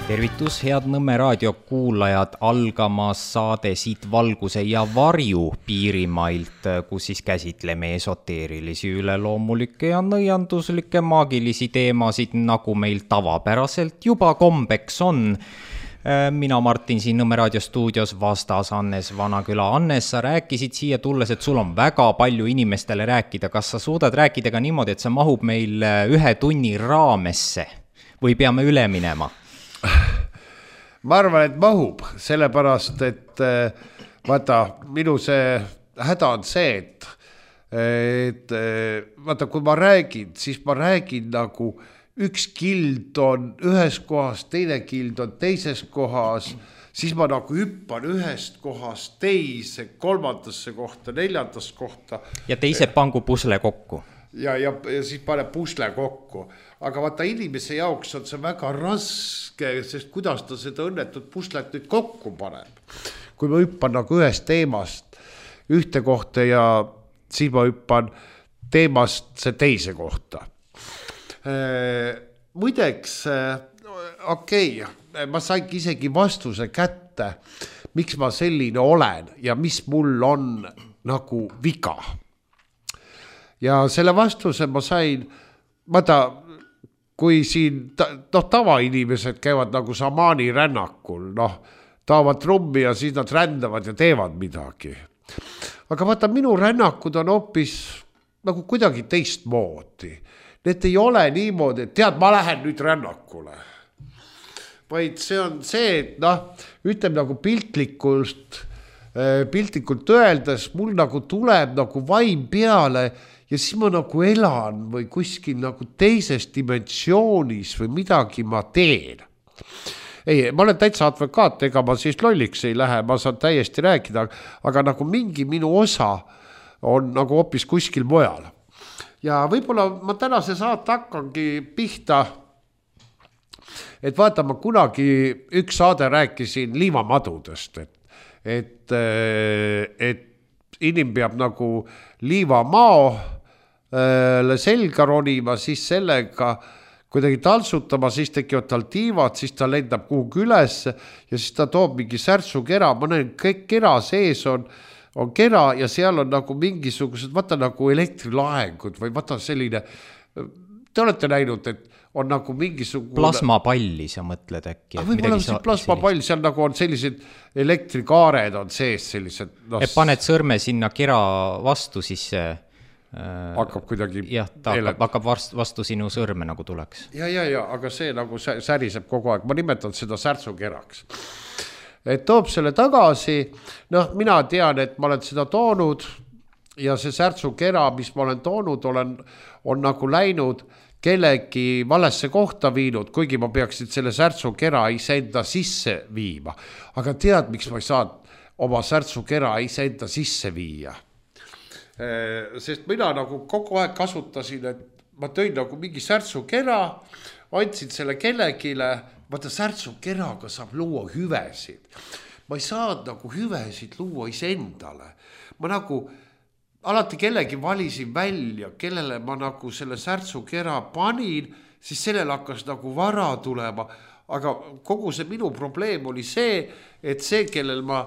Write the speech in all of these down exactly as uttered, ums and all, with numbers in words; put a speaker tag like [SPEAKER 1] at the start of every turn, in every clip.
[SPEAKER 1] Tervitus, head Nõmme raadio kuulajad, algamas saade Siit valguse ja varju Piirimailt, kus siis käsitleme esoteerilisi, üleloomulikke ja nõianduslikke maagilisi teemasid, nagu meil tavapäraselt juba kombeks on. Mina, Martin, siin Nõmme raadio stuudios, vastas Annes Vanaküla. Annes, sa rääkisid siia tulles, et sul on väga palju inimestele rääkida. Kas sa suudad rääkida ka niimoodi, et see mahub meil ühe tunni raamesse või peame üle minema?
[SPEAKER 2] Ma arvan, et mahub, sellepärast, et vaata, minu see häda on see, et, et vaata, kui ma räägin, siis ma räägin nagu üks kild on ühes kohas, teine kild on teises kohas, siis ma nagu hüppan ühest kohast teise, kolmandasse kohta, neljandasse kohta.
[SPEAKER 1] Ja teise pangu pusle kokku.
[SPEAKER 2] Ja, ja, ja siis pane pusle kokku. Aga vaata, inimese jaoks on see väga raske, sest kuidas ta seda õnnetut puslet nüüd kokku paneb. Kui ma hüppan nagu ühest teemast ühte kohta ja siis ma hüppan teemast see teise kohta. Muideks, okei, okay, ma saingi isegi vastuse kätte, miks ma selline olen ja mis mul on nagu viga. Ja selle vastuse ma sain, vaata, kui siin noh, tavainimesed käivad nagu samaani rännakul, noh, taavad trummi ja siis nad rändavad ja teevad midagi. Aga vaata, minu rännakud on hoopis nagu kuidagi teist moodi. Need ei ole niimoodi, et tead, ma lähen nüüd rännakule. Vaid see on see, et noh, ütleme nagu piltlikult, piltlikult öeldes, mul nagu tuleb nagu vaim peale ja siis ma nagu elan või kuskil nagu teises dimensioonis või midagi ma teen. Ei, ma olen täitsa advokaat, ega ma siis lolliks ei lähe, ma saan täiesti rääkida, aga nagu mingi minu osa on nagu hoopis kuskil mujal. Ja võib-olla ma tänase saate hakkangi pihta, et vaata, ma kunagi üks saade rääkisin liivamadudest, et, et, et inim peab nagu liivamao selga ronima, siis sellega kuidagi taltsutama, siis tekivad tal tiivad, siis ta lendab kuhugi üles ja siis ta toob mingi särtsu kera. Ma näen, kõik kera sees on, on kera ja seal on nagu mingisugused, vaata nagu elektrilaengud või vaata selline, te olete näinud, et on nagu mingisugune
[SPEAKER 1] plasmapalli, sa mõtled äkki.
[SPEAKER 2] Võib-olla see plasmapall, seal nagu on sellised elektrikaared on sees sellised.
[SPEAKER 1] No, et paned sõrme sinna kera vastu, siis
[SPEAKER 2] hakkab kuidagi
[SPEAKER 1] jah, ta hakkab, hakkab vastu sinu sõrme nagu tuleks.
[SPEAKER 2] Ja, ja, ja, aga see nagu säriseb kogu aeg. Ma nimetan seda särtsukeraks. Et toob selle tagasi, noh, mina tean, et ma olen seda toonud ja see särtsukera, mis ma olen toonud, olen, on nagu läinud kellegi valesse kohta viinud, kuigi ma peaksin selle särtsukera iseenda sisse viima. Aga tead, miks ma ei saa oma särtsukera iseenda sisse viia? Sest mina nagu kogu aeg kasutasin, et ma tõin nagu mingi särtsukera, andsin selle kellegile, vaata särtsukeraga saab luua hüvesid. Ma ei saa nagu hüvesid luua iseendale. Ma nagu alati kellegi valisin välja, kellele ma nagu selle särtsukera panin, siis sellel hakkas nagu vara tulema. Aga kogu see minu probleem oli see, et see, kellel ma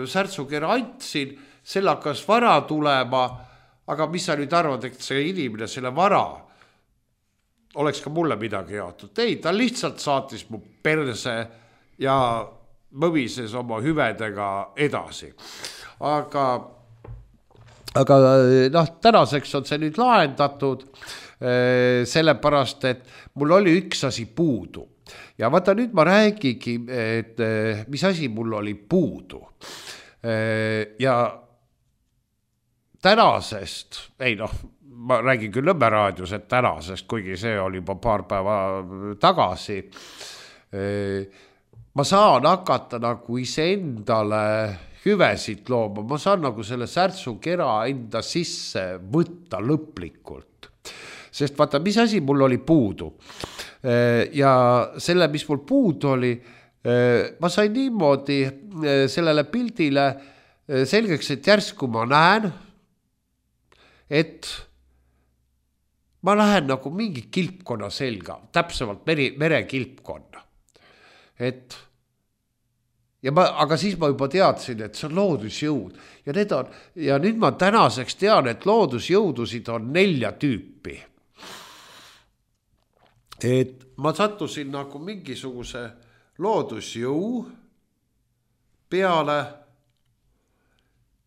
[SPEAKER 2] särtsukera andsin, selle hakkas vara tulema, aga mis sa nüüd arvad, et see inimene, selle vara oleks ka mulle midagi jaotud. Ei, ta lihtsalt saatis mu perse ja mõvises oma hüvedega edasi. Aga, aga noh, tänaseks on see nüüd lahendatud, sellepärast, et mul oli üks asi puudu. Ja vaata, nüüd ma räägigi, et mis asi mul oli puudu. Ja tänasest, ei noh, ma räägin küll Nõmme raadios, et tänasest, kuigi see oli juba paar päeva tagasi, ma saan hakata nagu iseendale hüvesid looma, ma saan nagu selle särtsukera enda sisse võtta lõplikult. Sest vaata, mis asi mul oli puudu. Ja selle, mis mul puudu oli, ma sain niimoodi sellele pildile selgeks, et järsku ma näen, et ma lähen nagu mingi kilpkonna selga, täpsemalt mere, mere kilpkonna. et ja ma, aga siis ma juba teadsin, et see on loodusjõud ja need on, ja nüüd ma tänaseks tean, et loodusjõudusid on nelja tüüpi. Et ma sattusin nagu mingisuguse loodusjõu peale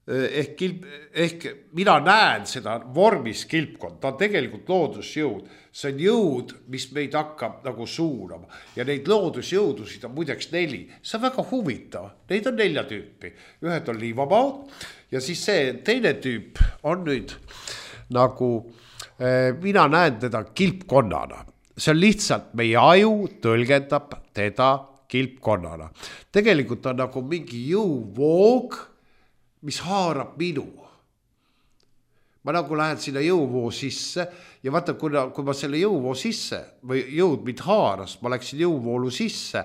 [SPEAKER 2] ehk, kilp, ehk mina näen seda vormis kilpkond, ta on tegelikult loodusjõud, see on jõud, mis meid hakkab nagu suunama ja neid loodusjõudusid on muideks neli, see on väga huvitav, neid on nelja tüüpi, ühed on liivamaad ja siis see teine tüüp on nüüd nagu, mina näen teda kilpkonnana, see on lihtsalt meie aju tõlgendab teda kilpkonnana, tegelikult on nagu mingi jõuvoog, mis haarab minu. Ma nagu lähen sinna jõuvoo sisse ja vaata, kui, kui ma selle jõuvoo sisse või jõud mind haaras, ma läksin jõuvoolu sisse,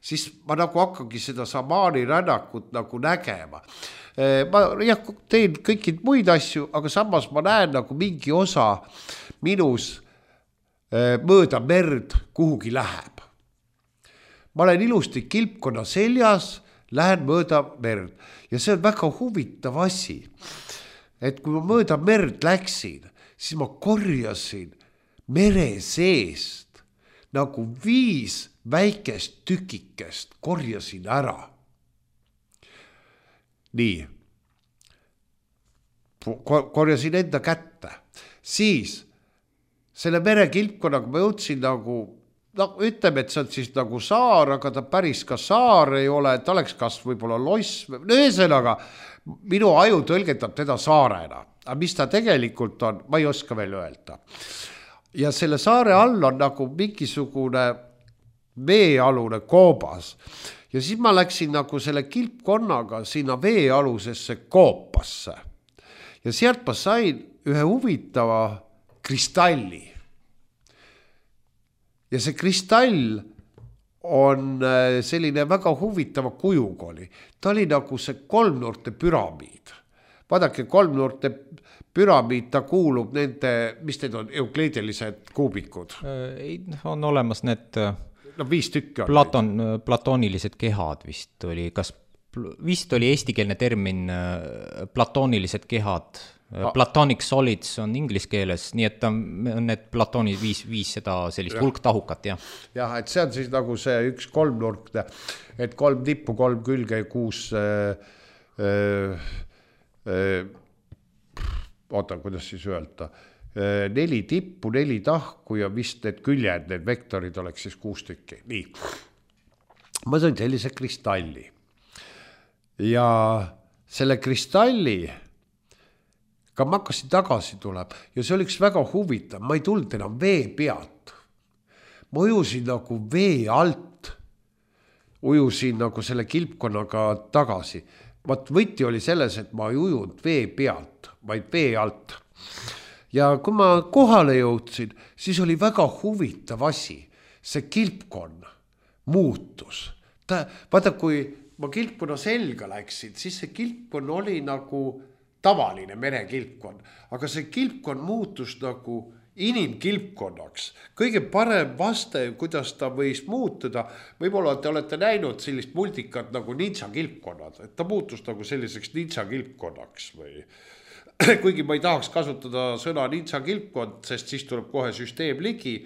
[SPEAKER 2] siis ma nagu hakkangi seda samaani rännakut nagu nägema. Ma jah, teen kõikid muid asju, aga samas ma näen nagu mingi osa minus mööda merd kuhugi läheb. Ma olen ilusti kilpkonna seljas, lähen mööda merd ja see on väga huvitav asi, et kui ma mööda merd läksin, siis ma korjasin mere seest nagu viis väikest tükikest korjasin ära. Nii, korjasin enda kätte, siis selle mere kilpkonnaga ma jõudsin nagu no ütleme, et see on siis nagu saar, aga ta päris ka saar ei ole, ta oleks kas võib-olla loss, no ühesõnaga, minu aju tõlgendab teda saarena, aga mis ta tegelikult on, ma ei oska veel öelda. Ja selle saare all on nagu mingisugune veealune koobas ja siis ma läksin nagu selle kilpkonnaga sinna veealusesse koopasse ja sealt ma sain ühe huvitava kristalli. Ja see kristall on selline väga huvitava kujuga oli. Ta oli nagu see kolmnurte püramiid. Vaadake, kolmnurte püramiid, ta kuulub nende, mis need on, eukliidelised kuubikud?
[SPEAKER 1] On olemas need
[SPEAKER 2] no, viis tükki on
[SPEAKER 1] Platon, platoonilised kehad vist oli. Kas vist oli eestikeelne termin platoonilised kehad? Platonic solids on inglis keeles, nii et on need platooni viis, viis seda sellist hulktahukat, jah. Jah,
[SPEAKER 2] et see on siis nagu see üks kolmnurkne, et kolm tippu, kolm külge, kuus, äh, äh, oota, kuidas siis öelda, äh, neli tippu, neli tahku ja vist need küljed, need vektorid oleks siis kuus tükki. Nii, ma sain sellise kristalli ja selle kristalli ka ma hakkasin tagasi tuleb ja see oli üks väga huvitav, ma ei tulnud enam vee pealt. Ma ujusin nagu vee alt, ujusin nagu selle kilpkonnaga tagasi. Vaat võti oli selles, et ma ei ujunud vee pealt, vaid vee alt. Ja kui ma kohale jõudsin, siis oli väga huvitav asi. See kilpkonn muutus. Ta, vaata, kui ma kilpkonna selga läksin, siis see kilpkonn oli nagu tavaline merekilpkond, aga see kilpkond muutus nagu inimkilpkonnaks. Kõige parem vaste, kuidas ta võis muutuda, võib-olla te olete näinud sellist multikat nagu ninja kilpkonnad, et ta muutus nagu selliseks ninja kilpkonnaks või kuigi ma ei tahaks kasutada sõna ninja kilpkond, sest siis tuleb kohe süsteem ligi,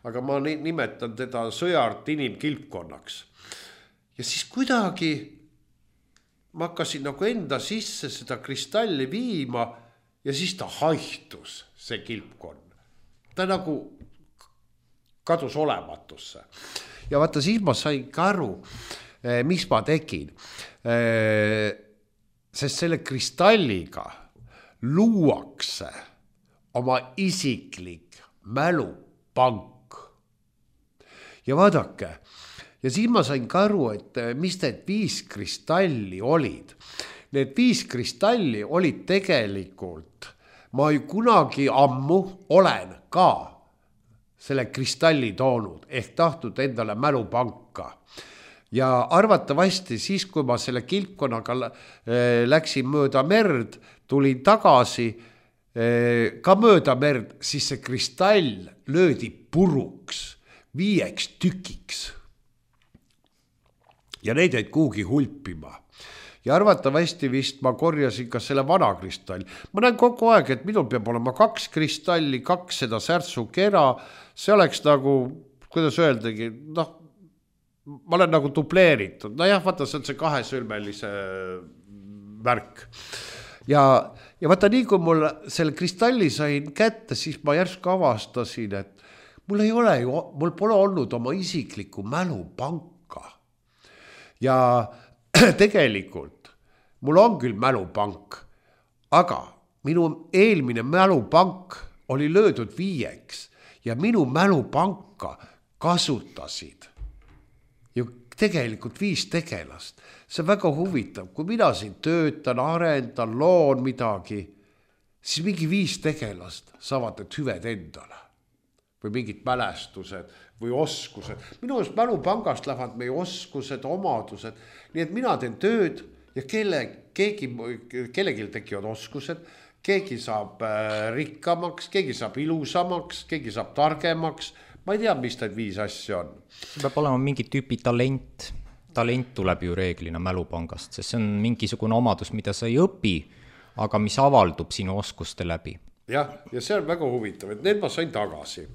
[SPEAKER 2] aga ma nimetan teda sõjart inimkilpkonnaks. Ja siis kuidagi ma hakkasin nagu enda sisse seda kristalli viima ja siis ta haihtus, see kilpkonn. Ta nagu kadus olematusse. Ja vaata, siis ma sain ka aru, mis ma tegin. Sest selle kristalliga luuakse oma isiklik mälupank. Ja vaadake, ja siis ma sain ka aru, et mis need viis kristalli olid. Need viis kristalli olid tegelikult, ma ei kunagi ammu olen ka selle kristalli toonud, ehk tahtnud endale mälupanka. Ja arvatavasti siis, kui ma selle kilpkonnaga läksin mööda merd, tulin tagasi ka mööda merd, siis see kristall löödi puruks, viieks tükiks. ja neid jäid kuhugi hulpima. Ja arvatavasti vist ma korjasin ka selle vana kristalli. Ma näen kogu aeg, et minul peab olema kaks kristalli, kaks seda särtsukera, see oleks nagu, kuidas öeldagi, noh, ma olen nagu dubleeritud. No jah, vaata, see on see kahesülmelise värk. Ja, ja vaata, nii kui mul selle kristalli sain kätte, siis ma järsku avastasin, et mul ei ole ju, mul pole olnud oma isiklikku mälupanka. Ja tegelikult mul on küll mälupank, aga minu eelmine mälupank oli löödud viieks ja minu mälupanka kasutasid ju tegelikult viis tegelast. See on väga huvitav, kui mina siin töötan, arendan, loon midagi, siis mingi viis tegelast saavad need hüved endale või mingid mälestused või oskused. Minu eest mälupangast lähevad meie oskused, omadused, nii et mina teen tööd ja kelle, keegi, kellelgi tekivad oskused, keegi saab rikkamaks, keegi saab ilusamaks, keegi saab targemaks. Ma ei tea, mis need viis asja on.
[SPEAKER 1] See peab olema mingi tüüpi talent. Talent tuleb ju reeglina mälupangast, sest see on mingisugune omadus, mida sa ei õpi, aga mis avaldub sinu oskuste läbi.
[SPEAKER 2] Jah, ja see on väga huvitav, et need ma sain tagasi.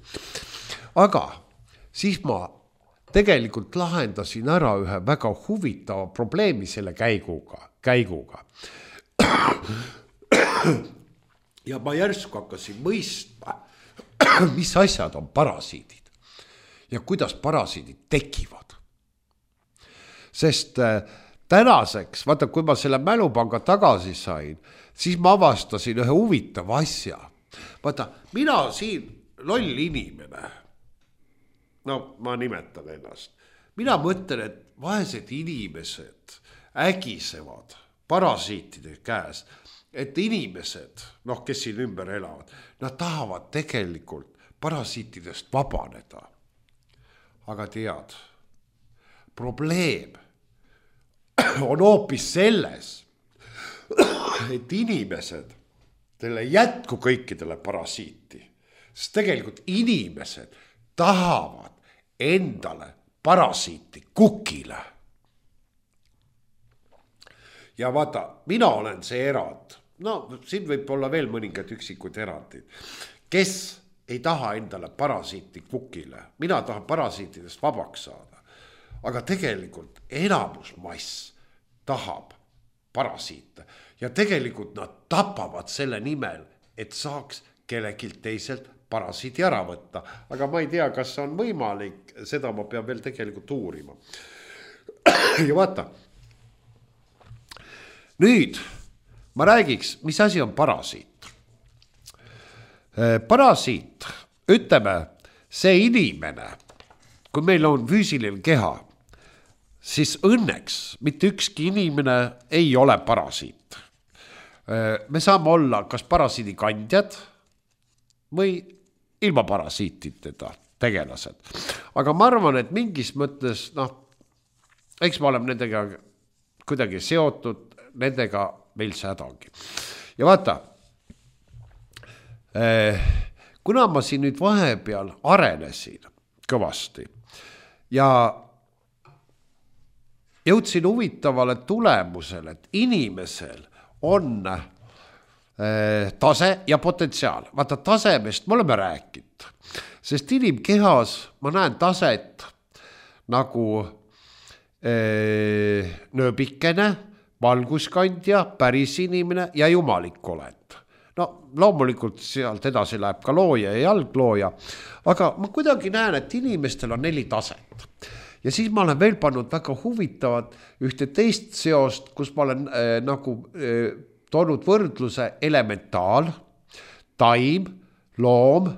[SPEAKER 2] Aga siis ma tegelikult lahendasin ära ühe väga huvitava probleemi selle käiguga. käiguga. Ja ma järsku hakkasin mõistma, mis asjad on parasiidid ja kuidas parasiidid tekivad. Sest tänaseks, vaata, kui ma selle mälupanga tagasi sain, siis ma avastasin ühe huvitava asja. Vaata, mina siin loll inimene, no ma nimetan ennast, mina mõtlen, et vaesed inimesed ägisevad parasiitide käes, et inimesed, noh, kes siin ümber elavad, nad tahavad tegelikult parasiitidest vabaneda. Aga tead, probleem on hoopis selles, et inimesed, teile jätku kõikidele parasiiti, sest tegelikult inimesed tahavad endale parasiiti kukile. Ja vaata, mina olen see erand, no siin võib olla veel mõningad üksikud erandid, kes ei taha endale parasiiti kukile, mina tahan parasiitidest vabaks saada, aga tegelikult enamusmass tahab parasiite ja tegelikult nad tapavad selle nimel, et saaks kellelgi teiselt parasiiti ära võtta. Aga ma ei tea, kas on võimalik, seda ma pean veel tegelikult uurima. Ja vaata, nüüd ma räägiks, mis asi on parasiit. Parasiit, ütleme, see inimene, kui meil on füüsiline keha, siis õnneks mitte ükski inimene ei ole parasiit. Me saame olla kas parasiidi kandjad või ilma parasiitideta tegelased. Aga ma arvan, et mingis mõttes, noh, eks ma olen nendega kuidagi seotud, nendega meil see häda ongi. Ja vaata, kuna ma siin nüüd vahepeal arenesin kõvasti ja jõudsin huvitavale tulemusele, et inimesel on tase ja potentsiaal. Vaata, tasemest me oleme rääkinud, sest inimkehas ma näen taset nagu ee, nööbikene, valguskandja, päris inimene ja jumalik olend. No loomulikult sealt edasi läheb ka looja ja jalglooja, aga ma kuidagi näen, et inimestel on neli taset. Ja siis ma olen veel pannud väga huvitavat ühte teist seost, kus ma olen äh, nagu äh, toonud võrdluse elementaal, taim, loom,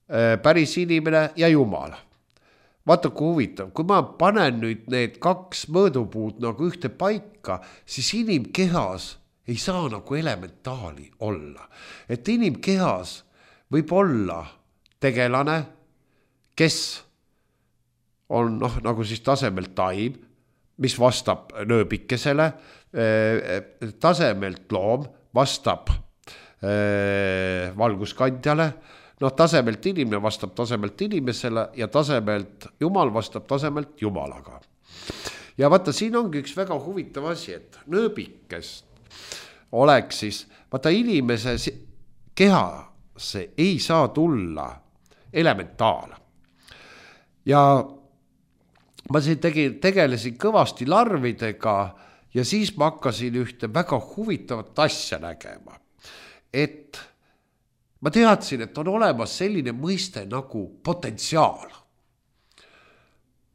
[SPEAKER 2] äh, päris inimene ja jumal. Vaata, kui huvitav, kui ma panen nüüd need kaks mõõdupuud nagu ühte paika, siis inimkehas ei saa nagu elementaali olla. Et inimkehas võib olla tegelane, kes on noh, nagu siis tasemelt taim, mis vastab nööbikesele, tasemelt loom vastab valguskandjale, noh, tasemelt inimene vastab tasemelt inimesele ja tasemelt jumal vastab tasemelt jumalaga. Ja vaata, siin ongi üks väga huvitav asi, et nööbikest oleks siis, vaata inimese kehasse ei saa tulla elementaal. Ja ma siin tegin, tegelesin kõvasti larvidega ja siis ma hakkasin ühte väga huvitavat asja nägema. Et ma teadsin, et on olemas selline mõiste nagu potentsiaal.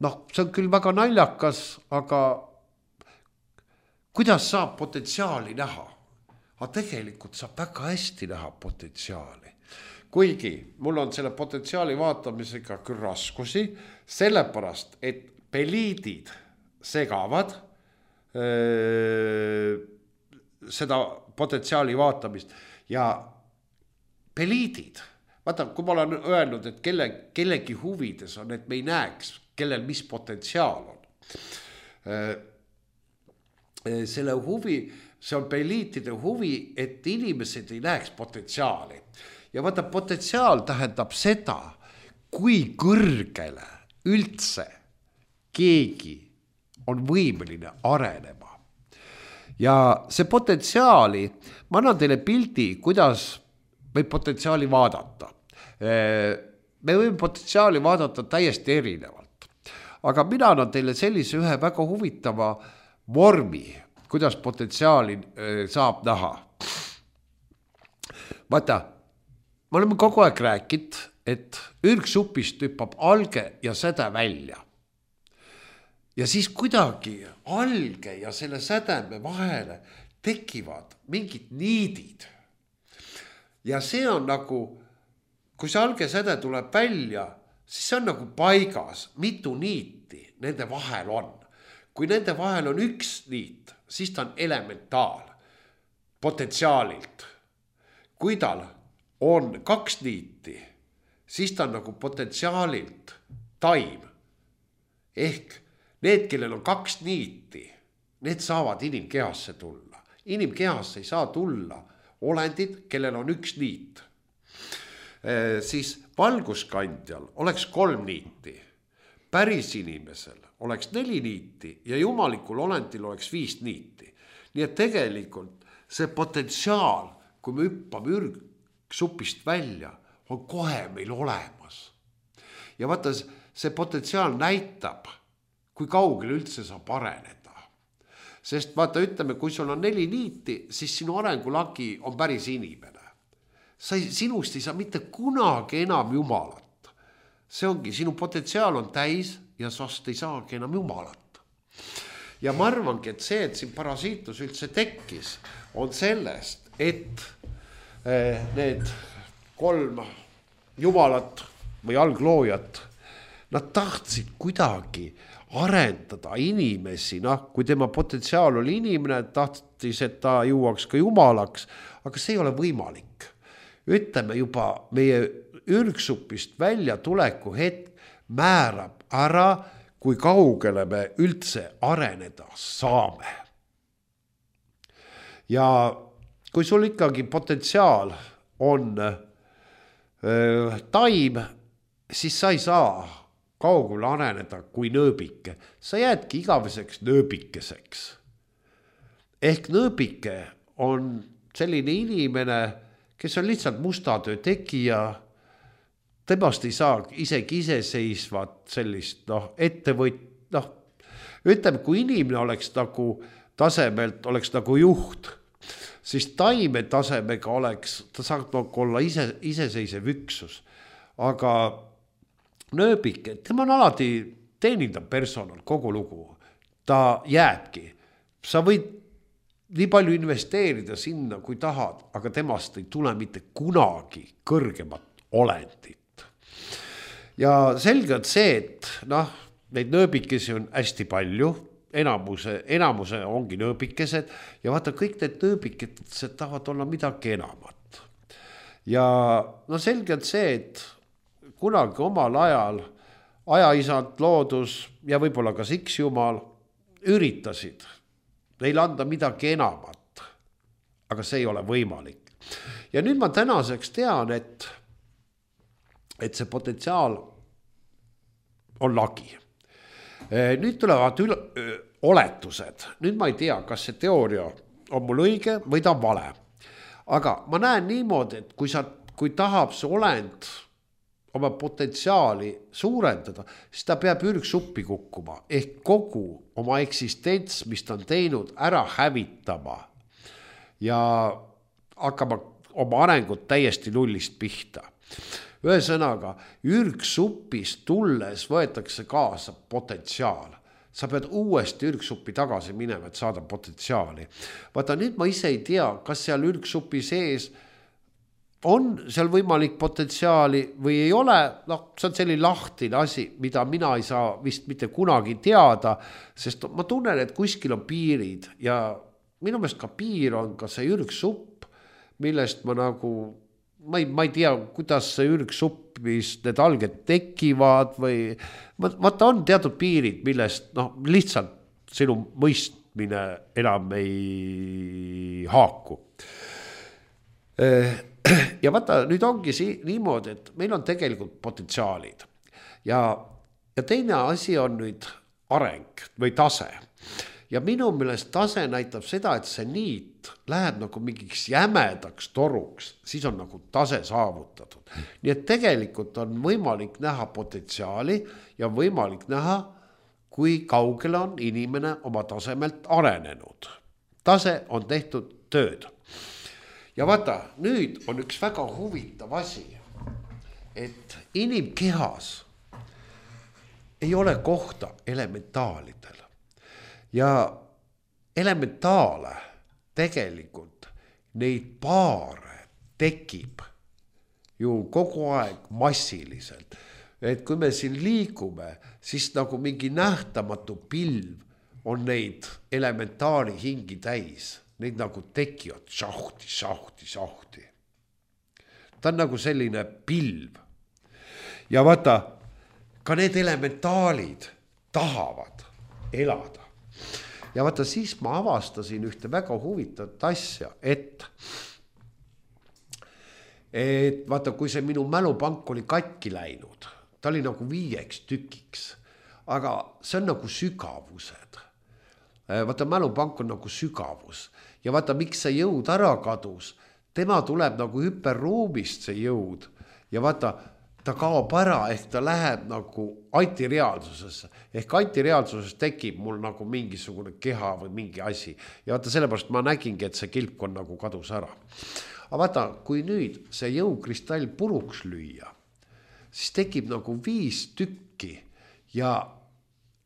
[SPEAKER 2] Noh, see on küll väga naljakas, aga kuidas saab potentsiaali näha? Aga tegelikult saab väga hästi näha potentsiaali. Kuigi mul on selle potentsiaali vaatamisega küll raskusi, sellepärast, et peliidid segavad öö, seda potentsiaali vaatamist ja peliidid, vaata, kui ma olen öelnud, et kelle, kellegi huvides on, et me ei näeks, kellel mis potentsiaal on. Selle huvi, see on peliitide huvi, et inimesed ei näeks potentsiaali. Ja vaata, potentsiaal tähendab seda, kui kõrgele üldse keegi on võimeline arenema. Ja see potentsiaali, ma annan teile pildi, kuidas võib potentsiaali vaadata. Me võime potentsiaali vaadata täiesti erinevalt. Aga mina annan teile sellise ühe väga huvitava vormi, kuidas potentsiaali saab näha. Vaata, me oleme kogu aeg rääkinud, et ürgsupist hüppab alge ja säde välja. Ja siis kuidagi alge ja selle sädeme vahele tekivad mingid niidid. Ja see on nagu, kui see alge säde tuleb välja, siis see on nagu paigas, mitu niiti nende vahel on. Kui nende vahel on üks niit, siis ta on elementaal potentsiaalilt. Kui tal on kaks niiti, siis ta on nagu potentsiaalilt taim. Ehk need, kellel on kaks niiti, need saavad inimkehasse tulla. Inimkehasse ei saa tulla olendid, kellel on üks niit. E, siis valguskandjal oleks kolm niiti, päris inimesel oleks neli niiti ja jumalikul olendil oleks viis niiti. Nii et tegelikult see potentsiaal, kui me hüppame ürgsupist välja, on kohe meil olemas. Ja vaata, see potentsiaal näitab, kui kaugele üldse saab areneda. Sest vaata, ütleme, kui sul on neli niiti, siis sinu arengulagi on päris inimene. Sa ei, sinust ei saa mitte kunagi enam jumalat. See ongi, sinu potentsiaal on täis ja sast ei saagi enam jumalat. Ja ma arvangi, et see, et siin parasiitus üldse tekkis, on sellest, et eh, need kolm jumalat või algloojat, nad tahtsid kuidagi arendada inimesi, noh, kui tema potentsiaal oli inimene, tahtis, et ta jõuaks ka jumalaks, aga see ei ole võimalik. Ütleme juba meie ürgsupist välja tuleku hetk määrab ära, kui kaugele me üldse areneda saame. Ja kui sul ikkagi potentsiaal on äh, taim, siis sa ei saa kaugele areneda kui nööbike. Sa jäädki igaveseks nööbikeseks. Ehk nööbike on selline inimene, kes on lihtsalt mustatöö tegija, temast ei saa isegi iseseisvat sellist noh, ettevõt, noh, ütleme, kui inimene oleks nagu tasemelt, oleks nagu juht, siis taime tasemega oleks, ta saab olla ise, iseseisev üksus. Aga nööbik, tema on alati teenindav personal, kogu lugu. Ta jääbki. Sa võid nii palju investeerida sinna, kui tahad, aga temast ei tule mitte kunagi kõrgemat olendit. Ja selge on see, et noh, neid nööbikesi on hästi palju, enamuse, enamuse ongi nööbikesed ja vaata, kõik need nööbikesed tahavad olla midagi enamat. Ja no selge on see, et kunagi omal ajal ajaisand, loodus ja võib-olla ka siks jumal üritasid neile anda midagi enamat, aga see ei ole võimalik. Ja nüüd ma tänaseks tean, et et see potentsiaal on lagi. Nüüd tulevad üle, öö, oletused. Nüüd ma ei tea, kas see teooria on mul õige või ta on vale. Aga ma näen niimoodi, et kui, sa, kui tahab see olend oma potentsiaali suurendada, siis ta peab ürgsuppi kukkuma. Ehk kogu oma eksistents, mis ta on teinud, ära hävitama. Ja hakkama oma arengut täiesti nullist pihta. Ühesõnaga, ürgsupist tulles võetakse kaasa potentsiaal. Sa pead uuesti ürgsuppi tagasi minema, et saada potentsiaali. Vaata, nüüd ma ise ei tea, kas seal ürgsupi sees on seal võimalik potentsiaali või ei ole. No, see on selline lahtine asi, mida mina ei saa vist mitte kunagi teada, sest ma tunnen, et kuskil on piirid ja minu meelest ka piir on ka see ürgsupp, millest ma nagu Ma ei, ma ei tea, kuidas see ürgsuppis need alged tekivad või vaata on teatud piirid, millest no, lihtsalt sinu mõistmine enam ei haaku. Ja vaata, nüüd ongi si- niimoodi, et meil on tegelikult potentsiaalid ja, ja teine asi on nüüd areng või tase. Ja minu meelest tase näitab seda, et see niit läheb nagu mingiks jämedaks toruks, siis on nagu tase saavutatud. Nii et tegelikult on võimalik näha potentsiaali ja võimalik näha, kui kaugele on inimene oma tasemelt arenenud. Tase on tehtud tööd. Ja vaata, nüüd on üks väga huvitav asi, et inimkehas ei ole kohta elementaalidel. Ja elementaale tegelikult neid paare tekib ju kogu aeg massiliselt. Et kui me siin liigume, siis nagu mingi nähtamatu pilv on neid elementaali hingi täis. Neid nagu tekivad šahti, šahti, šahti. Ta on nagu selline pilv. Ja vaata, ka need elementaalid tahavad elada. Ja vaata, siis ma avastasin ühte väga huvitavat asja, et, et vaata, kui see minu mälupank oli katki läinud, ta oli nagu viieks tükiks, aga see on nagu sügavused. Vaata, mälupank on nagu sügavus ja vaata, miks see jõud ära kadus, tema tuleb nagu hüperruumist see jõud ja vaata, ta kaob ära, ehk ta läheb nagu antireaalsusesse. Ehk antireaalsuses tekib mul nagu mingisugune keha või mingi asi. Ja vaata, sellepärast ma nägingi, et see kilpkond nagu kadus ära. Aga vaata, kui nüüd see jõukristall puruks lüüa, siis tekib nagu viis tükki ja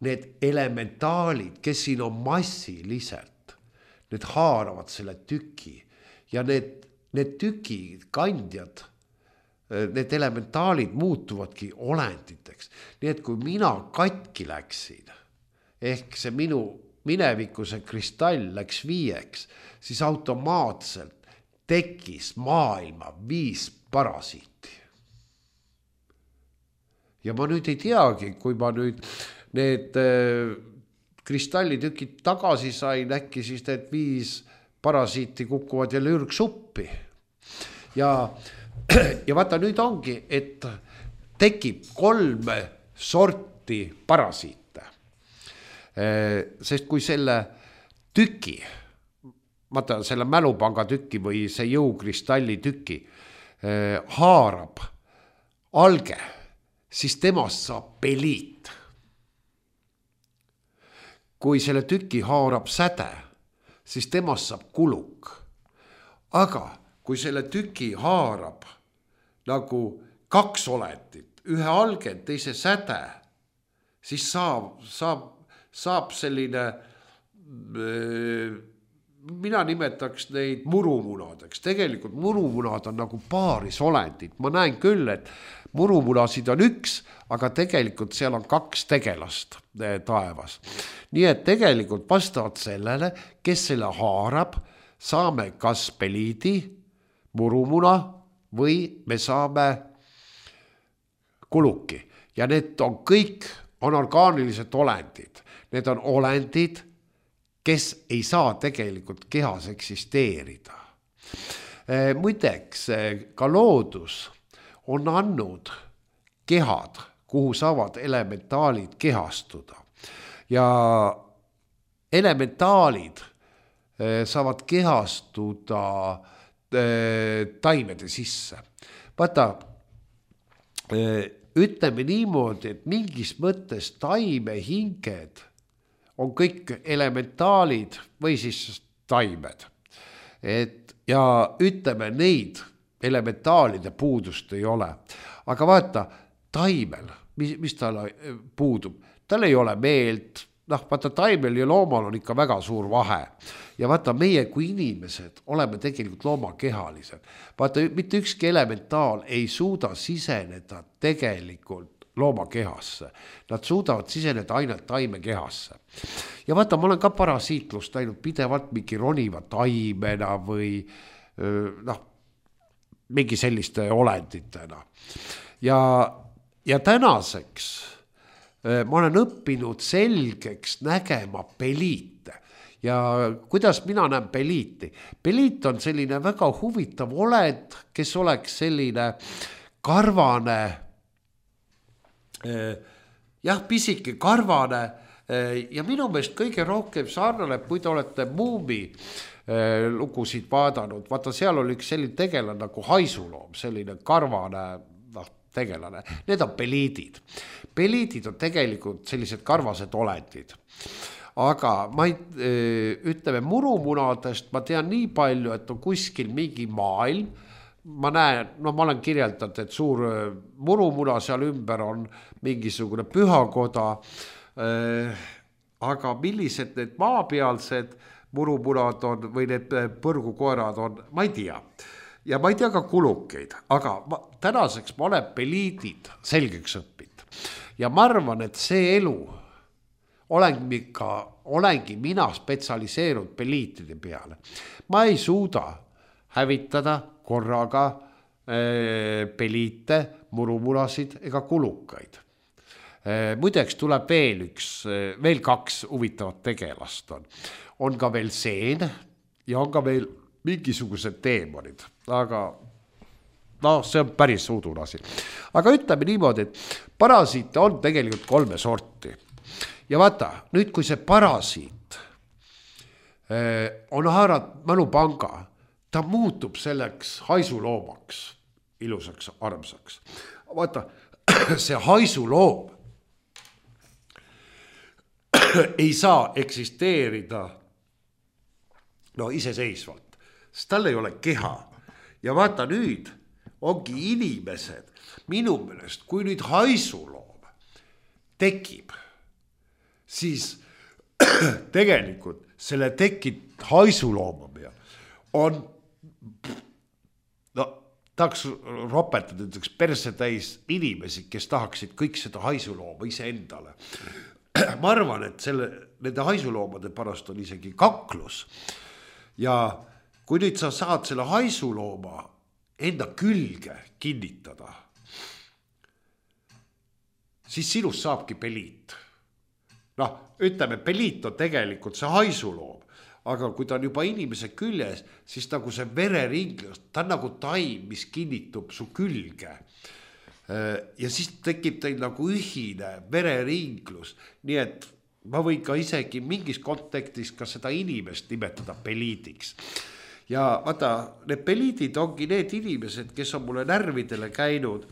[SPEAKER 2] need elementaalid, kes siin on massiliselt, need haaravad selle tüki ja need, need tüki kandjad, need elementaalid muutuvadki olenditeks. Nii et kui mina katki läksin, ehk see minu mineviku see kristall läks viieks, siis automaatselt tekkis maailma viis parasiiti. Ja ma nüüd ei teagi, kui ma nüüd need kristallitükid tagasi sain, äkki siis need viis parasiiti kukuvad jälle ürgsuppi. Ja Ja vaata, nüüd ongi, et tekib kolm sorti parasiite. Sest kui selle tüki, vaata selle mälupanga tüki või see jõukristalli tüki haarab alge, siis temast saab peliit. Kui selle tüki haarab säde, siis temast saab kuluk. Aga kui selle tüki haarab nagu kaks olendit, ühe alge, teise säde, siis saab, saab, saab selline, mina nimetaks neid murumunadeks. Tegelikult murumunad on nagu paaris olendid. Ma näen küll, et murumunasid on üks, aga tegelikult seal on kaks tegelast taevas. Nii et tegelikult vastavalt sellele, kes selle haarab, saame kas peliidi, murumuna või me saame kuluki. Ja need on kõik on orgaanilised olendid. Need on olendid, kes ei saa tegelikult kehas eksisteerida. Muideks, ka loodus on andnud kehad, kuhu saavad elementaalid kehastuda. Ja elementaalid saavad kehastuda taimede sisse. Vaata, ütleme niimoodi, et mingis mõttes taimehinged on kõik elementaalid või siis taimed. Et, ja ütleme, neid elementaalide puudust ei ole. Aga vaata, taimel, mis, mis tal puudub, tal ei ole meelt, noh, vaata taimel ja loomal on ikka väga suur vahe. Ja vaata, meie kui inimesed oleme tegelikult loomakehalised. Vaata, mitte ükski elementaal ei suuda siseneda tegelikult loomakehasse. Nad suudavad siseneda ainult taimekehasse. Ja vaata, ma olen ka parasiitlust näinud pidevalt mingi roniva taimena või noh, mingi selliste olenditena. Ja, ja tänaseks ma olen õppinud selgeks nägema peliite. Ja kuidas mina näen peliiti? Peliit on selline väga huvitav olend, kes oleks selline karvane, jah, pisike karvane ja minu meelest kõige rohkem sarnane, kui te olete Muumi lugusid vaadanud. Vaata, seal oli üks selline tegelane nagu haisuloom, selline karvane noh, tegelane. Need on peliidid. Peliidid on tegelikult sellised karvased olendid. Aga ma ei, ütleme murumunadest, ma tean nii palju, et on kuskil mingi maailm. Ma näen, no ma olen kirjeldanud, et suur murumuna seal ümber on mingisugune pühakoda. Aga millised need maapealsed murumunad on või need põrgukoerad on, ma ei tea. Ja ma ei tea ka kulukeid, aga ma, tänaseks ma olen peliidid selgeks õppinud. Ja ma arvan, et see elu olengi, ka, olengi mina spetsialiseerunud peliitide peale. Ma ei suuda hävitada korraga äh, peliite, murumurasid ega kulukaid. Äh, muideks tuleb veel üks, veel kaks huvitavat tegelast on. On ka veel seen ja on ka veel mingisugused teemonid, aga no see on päris udune asi. Aga ütleme niimoodi, et parasiite on tegelikult kolme sorti. Ja vaata, nüüd kui see parasiit eh, on haarat mälupanga, ta muutub selleks haisuloomaks, ilusaks, armsaks. Vaata, see haisuloom ei saa eksisteerida no iseseisvalt, sest tal ei ole keha. Ja vaata nüüd ongi inimesed, minu meelest, kui nüüd haisuloom tekib, siis tegelikult selle tekib haisulooma peal on, no tahaks ropetada üks perse täis inimesi, kes tahaksid kõik seda haisulooma ise endale. Ma arvan, et selle, nende haisuloomade pärast on isegi kaklus. Ja kui nüüd sa saad selle haisulooma enda külge kinnitada, siis sinust saabki peliit. Noh, ütleme, peliit on tegelikult see haisuloom, aga kui ta on juba inimese küljes, siis nagu see vereringlus, ta on nagu taim, mis kinnitub su külge. Ja siis tekib teil nagu ühine vereringlus, nii et ma võin ka isegi mingis kontekstis ka seda inimest nimetada peliidiks. Ja vaata, need peliidid ongi need inimesed, kes on mulle närvidele käinud,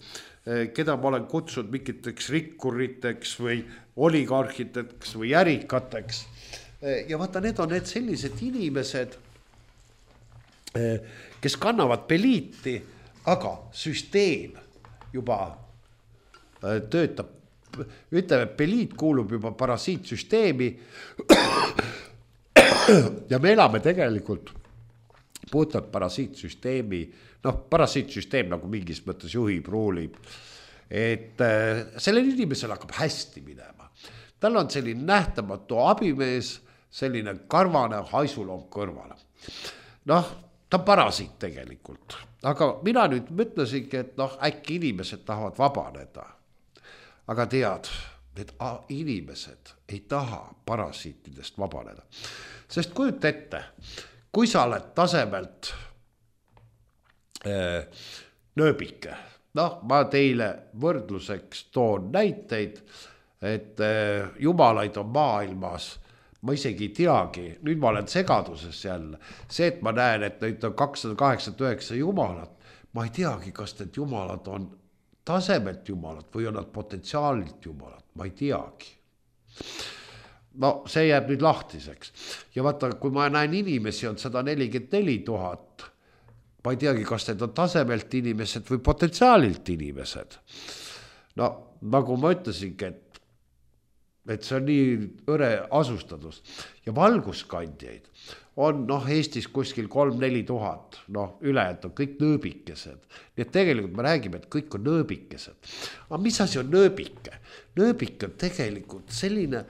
[SPEAKER 2] keda ma olen kutsunud mingiteks rikkuriteks või oligarhiteks või ärikateks. Ja vaata, need on need sellised inimesed, kes kannavad peliiti, aga süsteem juba töötab. Ütleme, peliit kuulub juba parasiitsüsteemi ja me elame tegelikult puhtalt parasiitsüsteemi, noh, parasiitsüsteem nagu mingis mõttes juhib, ruulib, et sellel inimesel hakkab hästi minema. Tal on selline nähtamatu abimees, selline karvane haisuloom kõrvale. Noh, ta on parasiit tegelikult, aga mina nüüd mõtlesingi, et noh, äkki inimesed tahavad vabaneda. Aga tead, need inimesed ei taha parasiitidest vabaneda. Sest kujut ette, kui sa oled tasemelt äh, nööbike, noh, ma teile võrdluseks toon näiteid, et jumalaid on maailmas, ma isegi ei teagi, nüüd ma olen segaduses jälle, see, et ma näen, et nüüd on kakssada kaheksakümmend üheksa jumalat, ma ei teagi, kas need jumalad on tasemelt jumalad või on nad potentsiaalilt jumalad, ma ei teagi. No see jääb nüüd lahtiseks. Ja vaata, kui ma näen inimesi on sada nelikümmend neli tuhat, ma ei teagi, kas need on tasemelt inimesed või potentsiaalilt inimesed. No nagu ma ütlesingi, et et see on nii õre asustatus ja valguskandjaid on noh Eestis kuskil kolm-neli tuhat, noh ülejäänud on kõik nööbikesed. Nii et tegelikult me räägime, et kõik on nööbikesed. Aga mis asi on nööbike? Nööbike on tegelikult selline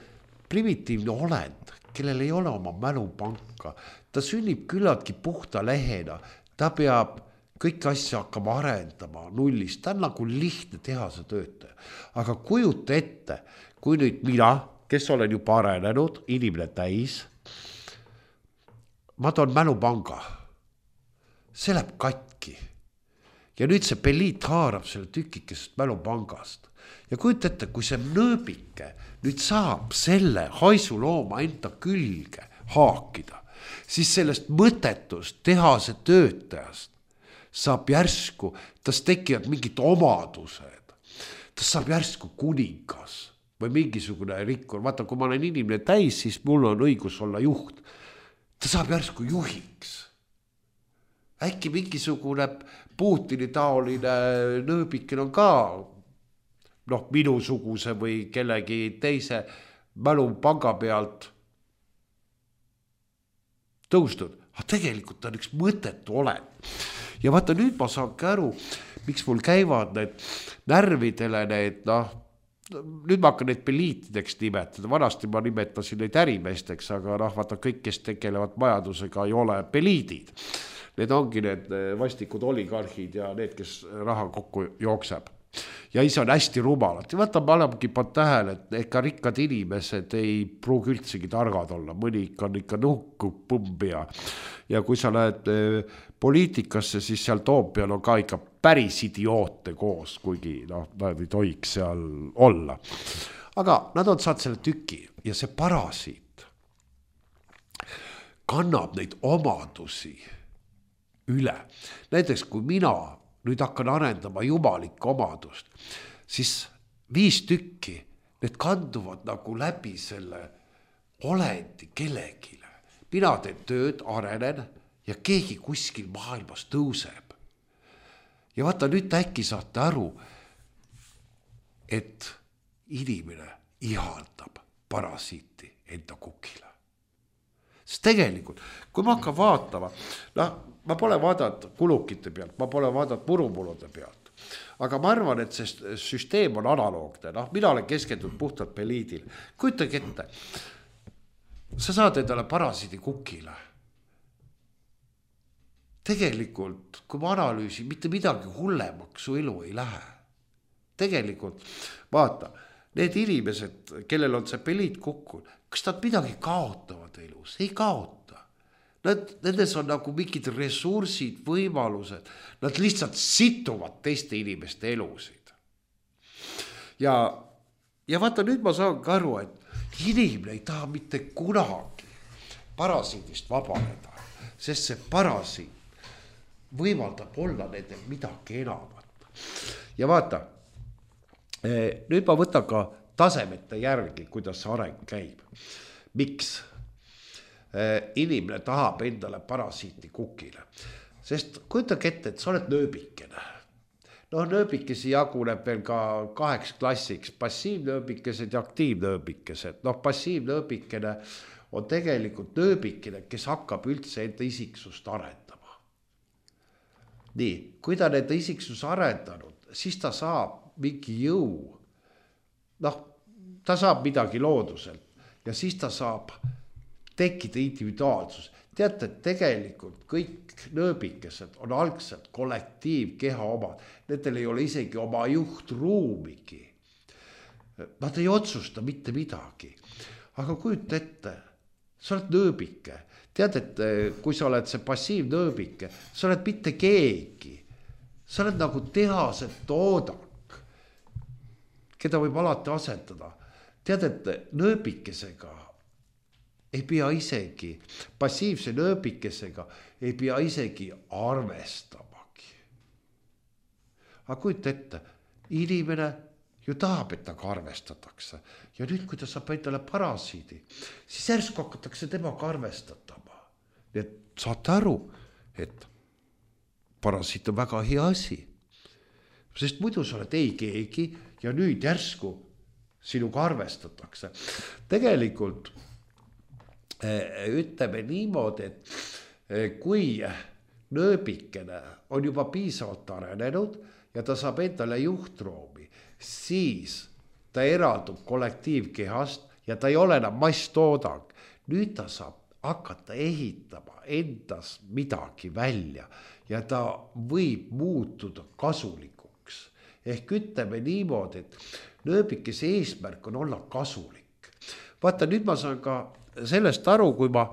[SPEAKER 2] primitiivne olend, kellel ei ole oma mälupanka. Ta sünnib küllaltki puhta lehena, ta peab kõik asja hakkama arendama nullist, ta on nagu lihtne tehase töötaja. Aga kujuta ette, kui nüüd mina, kes olen juba arenenud, inimene täis, ma toon mälupanga, see läheb katki. Ja nüüd see peliit haarab selle tükikesest mälupangast. Ja kujuta ette, kui see nööbike nüüd saab selle haisulooma enda külge haakida, siis sellest mõttetust tehase töötajast saab järsku, tas tekivad mingid omadused, tas saab järsku kuningas või mingisugune rikkur. Vaata, kui ma olen inimene täis, siis mul on õigus olla juht. Ta saab järsku juhiks. Äkki mingisugune Putini taoline nööbikin on ka noh, minusuguse või kellegi teise mälupanga pealt tõustud. Aga tegelikult on üks mõttetu olend. Ja vaata, nüüd ma saan aru, miks mul käivad need närvidele need, noh, nüüd ma hakkan neid peliitideks nimetada, vanasti ma nimetasin neid ärimeesteks, aga noh, vaata kõik, kes tegelevad majandusega, ei ole peliidid. Need ongi need vastikud oligarhid ja need, kes raha kokku jookseb. Ja ise on hästi rumalad. Ja vaata, ma olengi pannud tähele, et ega rikkad inimesed ei pruugi üldsegi targad olla. Mõni ikka on ikka nuhku põmbia. Ja kui sa lähed poliitikasse, siis seal Toompeal on ka ikka päris idioote koos, kuigi noh, nad ei tohiks seal olla. Aga nad on saanud selle tüki ja see parasiit kannab neid omadusi üle. Näiteks kui mina nüüd hakkan arendama jumalikku omadust, siis viis tükki, need kanduvad nagu läbi selle olendi kellegile. Mina teen tööd, arenen ja keegi kuskil maailmas tõuseb. Ja vaata, nüüd äkki saate aru, et inimene ihaldab parasiiti enda kukile. Sest tegelikult, kui ma hakkan vaatama, noh, ma pole vaadanud kulukite pealt, ma pole vaadanud murumulude pealt, aga ma arvan, et see süsteem on analoogne, noh, mina olen keskendunud puhtalt peliidil. Kujutage ette, sa saad endale parasiidi kukile. Tegelikult, kui ma analüüsin, mitte midagi hullemaks su elu ei lähe. Tegelikult, vaata, need inimesed, kellel on see peliit kukkul, kas nad midagi kaotavad elus? Ei kaota. Nad, nendes on nagu mingid ressursid, võimalused. Nad lihtsalt situvad teiste inimeste elusid. Ja, ja vaata, nüüd ma saan ka aru, et inimene ei taha mitte kunagi parasiidist vabaneda, sest see parasiit võimaldab olla nendel midagi enamat. Ja vaata, nüüd ma võtan ka tasemete järgi, kuidas see areng käib. Miks? Inimene tahab endale parasiiti kukile. Sest kujutage ette, et sa oled nööbikene. No nööbikesi jaguneb veel ka kaheks klassiks, passiivnööbikesed ja aktiivnööbikesed. No passiivnööbikene on tegelikult nööbikene, kes hakkab üldse enda isiksust arendama. Nii, kui ta enda isiksus arendanud, siis ta saab mingi jõu, noh, ta saab midagi looduselt ja siis ta saab tekkida individuaalsus. Teate, et tegelikult kõik nööbikesed on algselt kollektiivkeha omad. Nendel ei ole isegi oma juhtruumigi. Nad ei otsusta mitte midagi. Aga kujuta ette, sa oled nööbike. Tead, et kui sa oled see passiivnööbike, sa oled mitte keegi. sa oled nagu tehase toodang, keda võib alati asetada. Tead, et nööbikesega ei pea isegi, passiivse nööbikesega ei pea isegi arvestamagi. Aga kujuta ette, inimene ju tahab, et taga arvestatakse. Ja nüüd, kui ta saab endale parasiidi, siis järsku hakatakse temaga arvestatama. Nii et saate aru, et parasiit on väga hea asi. Sest muidu sa oled ei keegi ja nüüd järsku sinuga arvestatakse. Tegelikult ütleme niimoodi, et kui nööbikene on juba piisavalt arenenud ja ta saab endale juhtroomi, siis ta eraldub kollektiivkehast ja ta ei ole enam masstoodang. Nüüd ta saab hakata ehitama endas midagi välja ja ta võib muutuda kasulikuks. Ehk ütleme niimoodi, et nööbikese eesmärk on olla kasulik. Vaata, nüüd ma saan ka sellest aru, kui ma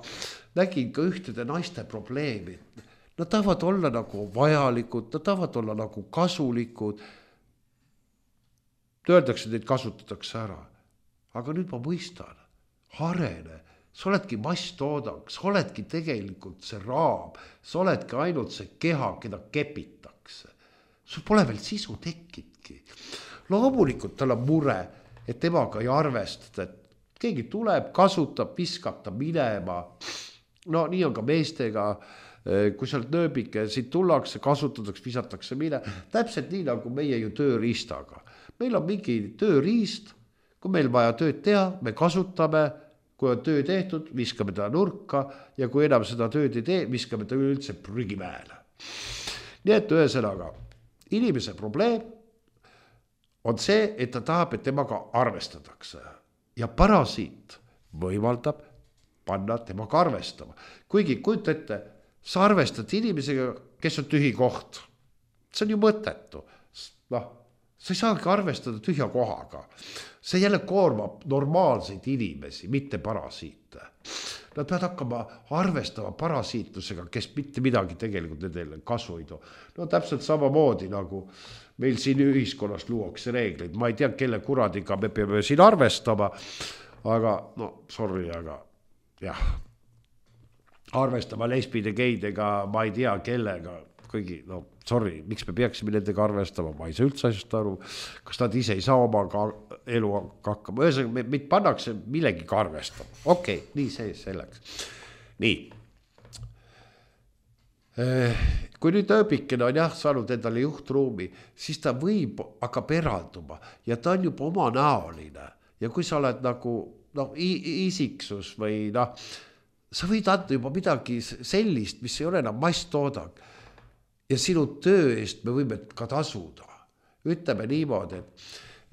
[SPEAKER 2] nägin ka ühtede naiste probleemi. Nad tahavad olla nagu vajalikud, nad tahavad olla nagu kasulikud. Öeldakse, et neid kasutatakse ära. Aga nüüd ma mõistan, arene, sa oledki masstoodang, sa oledki tegelikult see raam, sa oledki ainult see keha, keda kepitakse. Sul pole veel sisu tekkidki. Loomulikult tal on mure, et temaga ei arvestada, et keegi tuleb, kasutab, viskab ta minema. No nii on ka meestega, kui sa oled nööbike, siit tullakse, kasutatakse, visatakse mine. Täpselt nii nagu meie ju tööriistaga. Meil on mingi tööriist, kui meil vaja tööd teha, me kasutame, kui on töö tehtud, viskame ta nurka ja kui enam seda tööd ei tee, viskame ta üldse prügimäele. Nii et ühesõnaga, inimese probleem on see, et ta tahab, et temaga arvestatakse. Ja parasiit võimaldab panna temaga arvestama. Kuigi kujuta ette, sa arvestad inimesega, kes on tühi koht. See on ju mõttetu. No, sa ei saagi arvestada tühja kohaga. See jälle koormab normaalseid inimesi, mitte parasiite. Nad peavad hakkama arvestama parasiitlusega, kes mitte midagi tegelikult nendele kasu ei too. No täpselt samamoodi nagu meil siin ühiskonnas luuakse reegleid. Ma ei tea, kelle kuradiga me peame siin arvestama, aga no sorry, aga jah. Arvestama lesbide, geidega, ma ei tea kellega, kõigi, no sorry, miks me peaksime nendega arvestama, ma ei saa üldse asjast aru, kas nad ise ei saa oma elu hakkama, ühesõnaga meid pannakse millegiga arvestama. Okei, okay, nii see selleks. Nii. Kui nüüd ööbikene on jah saanud endale juhtruumi, siis ta võib hakkab eralduma ja ta on juba oma näoline. Ja kui sa oled nagu no, isiksus või noh, sa võid anda juba midagi sellist, mis ei ole enam masstoodang. Ja sinu töö eest me võime ka tasuda. Ütleme niimoodi, et,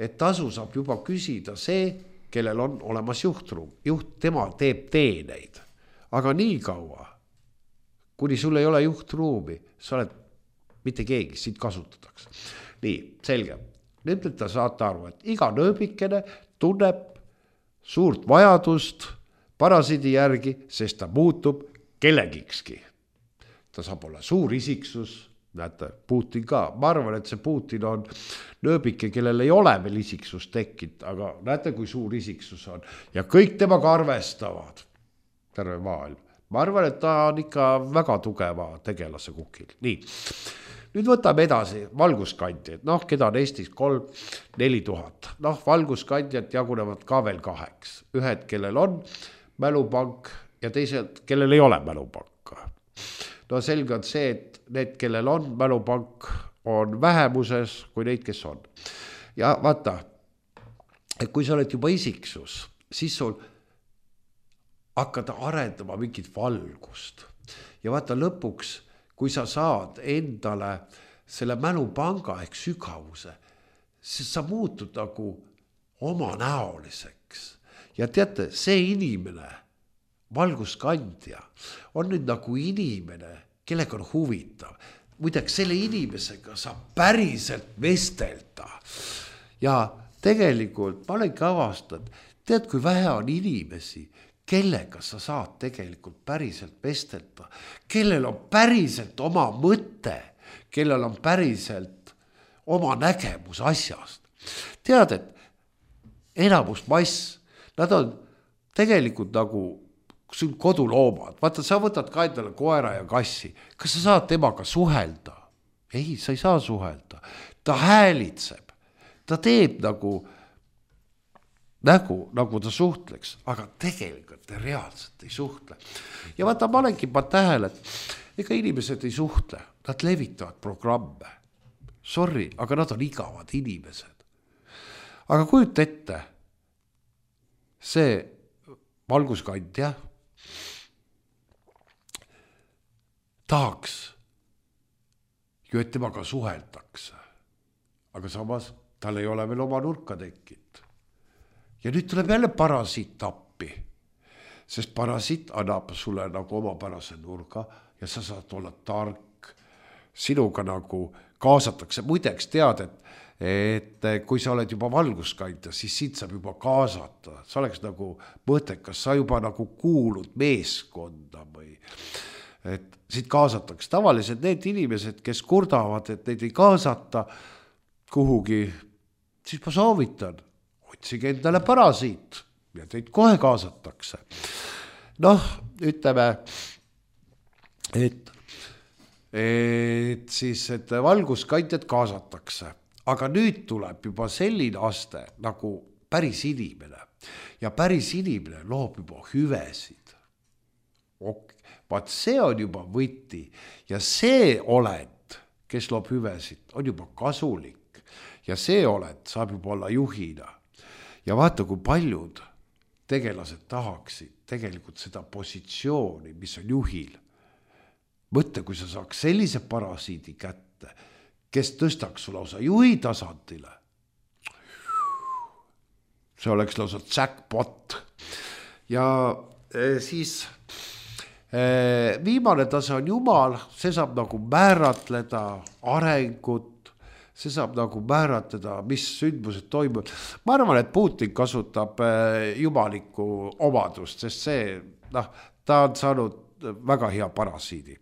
[SPEAKER 2] et tasu saab juba küsida see, kellel on olemas juhtruum. Juht, tema teeb teeneid. Aga nii kaua, kuni sul ei ole juhtruumi, sa oled mitte keegi, siit kasutatakse. Nii, selge. Nüüd te saate aru, et iga nööbikene tunneb suurt vajadust parasiidi järgi, sest ta muutub kellegikski. Ta saab olla suur isiksus, näete, Putin ka. Ma arvan, et see Putin on nööbike, kellel ei ole veel isiksus tekkinud, aga näete, kui suur isiksus on. Ja kõik temaga arvestavad, terve maailm. Ma arvan, et ta on ikka väga tugeva tegelase kukil. Nii, nüüd võtame edasi valguskandjad. Noh, keda on Eestis kolm, neli tuhat. Noh, valguskandjad jagunevad ka veel kaheks. Ühed, kellel on mälupank ja teised, kellel ei ole mälupanka. No selge on see, et need, kellel on mälupank, on vähemuses kui neid, kes on. Ja vaata, et kui sa oled juba isiksus, siis sul hakkada arendama mingit valgust. Ja vaata lõpuks, kui sa saad endale selle mälupanga ehk sügavuse, siis sa muutud nagu omanäoliseks. Ja teate, see inimene, valguskandja, on nüüd nagu inimene, kellega on huvitav. Muideks, selle inimesega saab päriselt vestelda. Ja tegelikult ma olen ka avastanud, tead, kui vähe on inimesi, kellega sa saad tegelikult päriselt vestelda, kellel on päriselt oma mõte, kellel on päriselt oma nägemus asjast. Tead, et enamus mass, nad on tegelikult nagu sul koduloomad. Vaata, sa võtad ka endale koera ja kassi. Kas sa saad temaga suhelda? Ei, sa ei saa suhelda. Ta häälitseb. Ta teeb nagu, nägu, nagu ta suhtleks, aga tegelikult ta reaalselt ei suhtle. Ja vaata, ma olengi pa tähele, et ega inimesed ei suhtle. Nad levitavad programme. Sorry, aga nad on igavad inimesed. Aga kujuta ette, see valguskandja tahaks ju, et temaga suheldakse. Aga samas tal ei ole veel oma nurka tekkinud. Ja nüüd tuleb jälle parasiit appi, sest parasiit annab sulle nagu omapärase nurga ja sa saad olla tark. Sinuga nagu kaasatakse. Muideks tead, et, et kui sa oled juba valguskandja, siis sind saab juba kaasata. Sa oleks nagu mõttekas, sa juba nagu kuulud meeskonda või et sind kaasatakse. Tavaliselt need inimesed, kes kurdavad, et neid ei kaasata kuhugi, siis ma soovitan, otsige endale parasiit ja teid kohe kaasatakse. Noh, ütleme, et et siis, et valguskandjad kaasatakse. Aga nüüd tuleb juba selline aste nagu päris inimene. Ja päris inimene loob juba hüvesid. Ok, vaat see on juba võti. Ja see oled, kes loob hüvesid, on juba kasulik. Ja see oled, saab juba olla juhina. Ja vaata, kui paljud tegelased tahaksid tegelikult seda positsiooni, mis on juhil. Mõtle, kui sa saaks sellise parasiidi kätte, kes tõstaks su lausa juhi tasandile. See oleks lausa jackpot. Ja siis viimane tase on Jumal, see saab nagu määratleda arengut, see saab nagu määratleda, mis sündmused toimuvad. Ma arvan, et Putin kasutab jumalikku omadust, sest see, noh, ta on saanud väga hea parasiidi.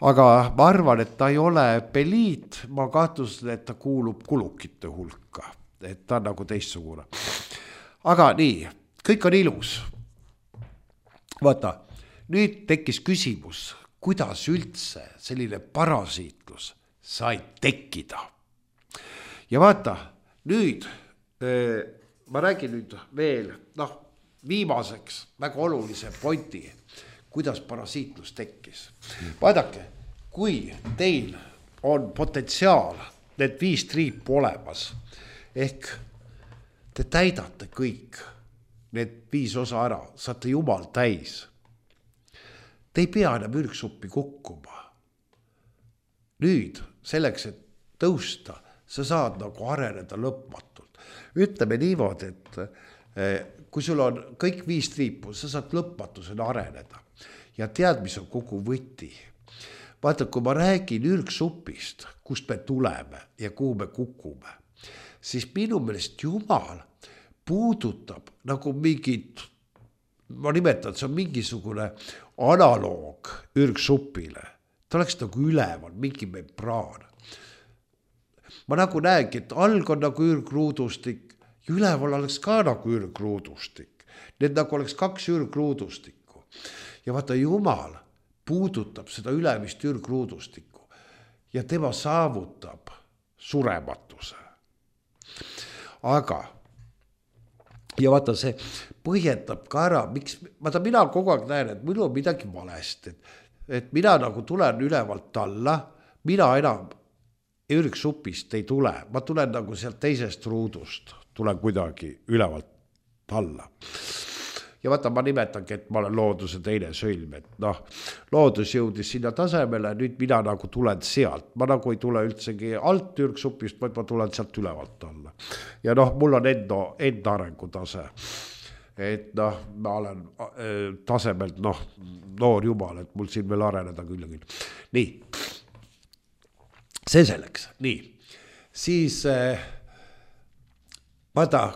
[SPEAKER 2] Aga ma arvan, et ta ei ole peliit, ma kahtlusin, et ta kuulub kulukite hulka, et ta on nagu teistsugune. Aga nii, kõik on ilus. Vaata, nüüd tekkis küsimus, kuidas üldse selline parasiitlus sai tekkida. Ja vaata, nüüd, ma räägin nüüd veel, noh, viimaseks väga olulise pointi, kuidas parasiitlus tekkis. Vaadake, kui teil on potentsiaal need viis triipu olemas, ehk te täidate kõik need viis osa ära, saate Jumal täis. Te ei pea enam ürgsuppi kukkuma. Nüüd, selleks, et tõusta, sa saad nagu areneda lõpmatult. Ütleme niimoodi, et kui sul on kõik viis triipu, sa saad lõpmatusena areneda. Ja tead, mis on kogu võti. Vaata, kui ma räägin ürgsupist, kust me tuleme ja kuhu me kukume, siis minu meelest Jumal puudutab nagu mingit, ma nimetan, see on mingisugune analoog ürgsupile. Ta oleks nagu üleval, mingi membraan. Ma nagu näengi, et alg on nagu ürgruudustik, ja üleval oleks ka nagu ürgruudustik. Need nagu oleks kaks ürgruudustikku. Ja vaata, Jumal puudutab seda ülemist ürgruudustikku ja tema saavutab surematuse. Aga, ja vaata, see põhjendab ka ära, miks, vaata, mina kogu aeg näen, et minu on midagi valesti, et, et mina nagu tulen ülevalt alla, mina enam ürgsupist ei tule, ma tulen nagu sealt teisest ruudust, tulen kuidagi ülevalt alla. Ja vaata, ma nimetangi, et ma olen looduse teine sõlm, et noh, loodus jõudis sinna tasemele, nüüd mina nagu tulen sealt, ma nagu ei tule üldsegi alt ürgsupist, vaid ma tulen sealt ülevalt alla. Ja noh, mul on enda, enda arengutase, et noh, ma olen tasemelt, noh, noor Jumal, et mul siin veel areneda küll ja küll. Nii, see selleks, nii, siis eh, vaata,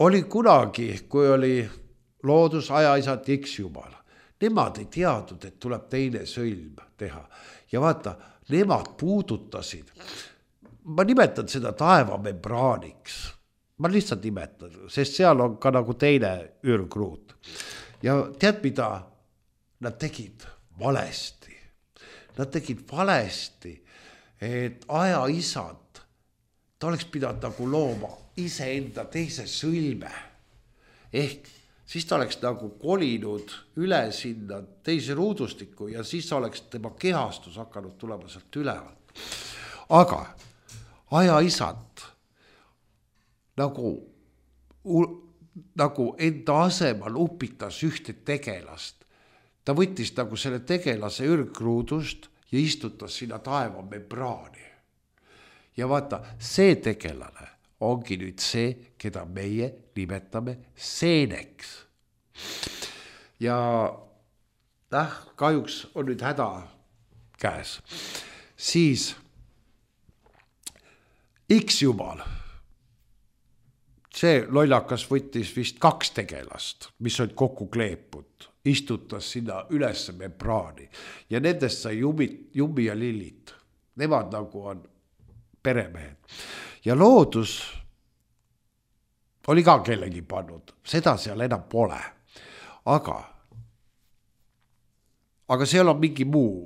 [SPEAKER 2] oli kunagi, kui oli loodus, ajaisad, X Jumal. nemad ei teadnud, et tuleb teine sõlm teha. Ja vaata, nemad puudutasid, ma nimetan seda taevamembraaniks, ma lihtsalt nimetan, sest seal on ka nagu teine ürgruut. Ja tead, mida nad tegid valesti? Nad tegid valesti, et aja isad, ta oleks pidanud nagu looma iseenda teise sõlme. Ehk siis ta oleks nagu kolinud üle sinna teise ruudustikku ja siis oleks tema kehastus hakanud tulema sealt ülevalt. Aga aja isad nagu, nagu enda asemal upitas ühte tegelast. Ta võttis nagu selle tegelase ürgruudust ja istutas sinna taevamembraani. Ja vaata, see tegelane ongi nüüd see, keda meie nimetame seeneks. Ja äh, kahjuks on nüüd häda käes. Siis X-jumal, see lollakas võttis vist kaks tegelast, mis on kokku kleepud, istutas sinna ülesse membraani ja nendest sai Jummi, Jummi ja Lillit. Nemad nagu on peremehed. Ja loodus oli ka kellegi pannud, seda seal enam pole. Aga, aga seal on mingi muu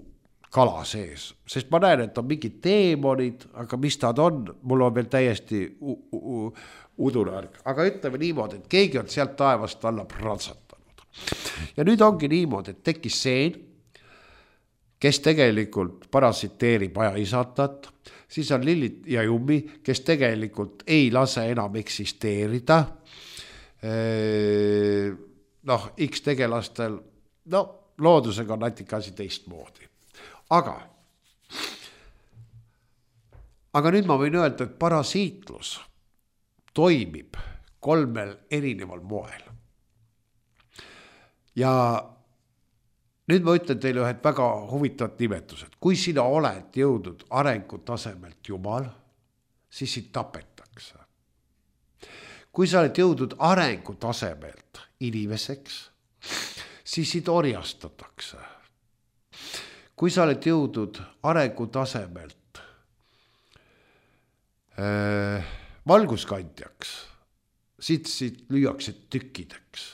[SPEAKER 2] kala sees, sest ma näen, et on mingid teemonid, aga mis nad on, mul on veel täiesti udunarg. Aga ütleme niimoodi, et keegi on sealt taevast alla pratsatanud. Ja nüüd ongi niimoodi, et tekkis seen, kes tegelikult parasiteerib aja isatat, siis on Lillit ja Jummi, kes tegelikult ei lase enam eksisteerida. Noh, X tegelastel, no loodusega on natuke asi teistmoodi. Aga, aga nüüd ma võin öelda, et parasiitlus toimib kolmel erineval moel. Ja nüüd ma ütlen teile ühed väga huvitavat nimetused. Kui sina oled jõudnud arengutasemelt Jumal, siis sind tapetakse. Kui sa oled jõudnud arengutasemelt inimeseks, siis sind orjastatakse. Kui sa oled jõudnud arengutasemelt äh, valguskandjaks, siit, siit lüüakse tükkideks.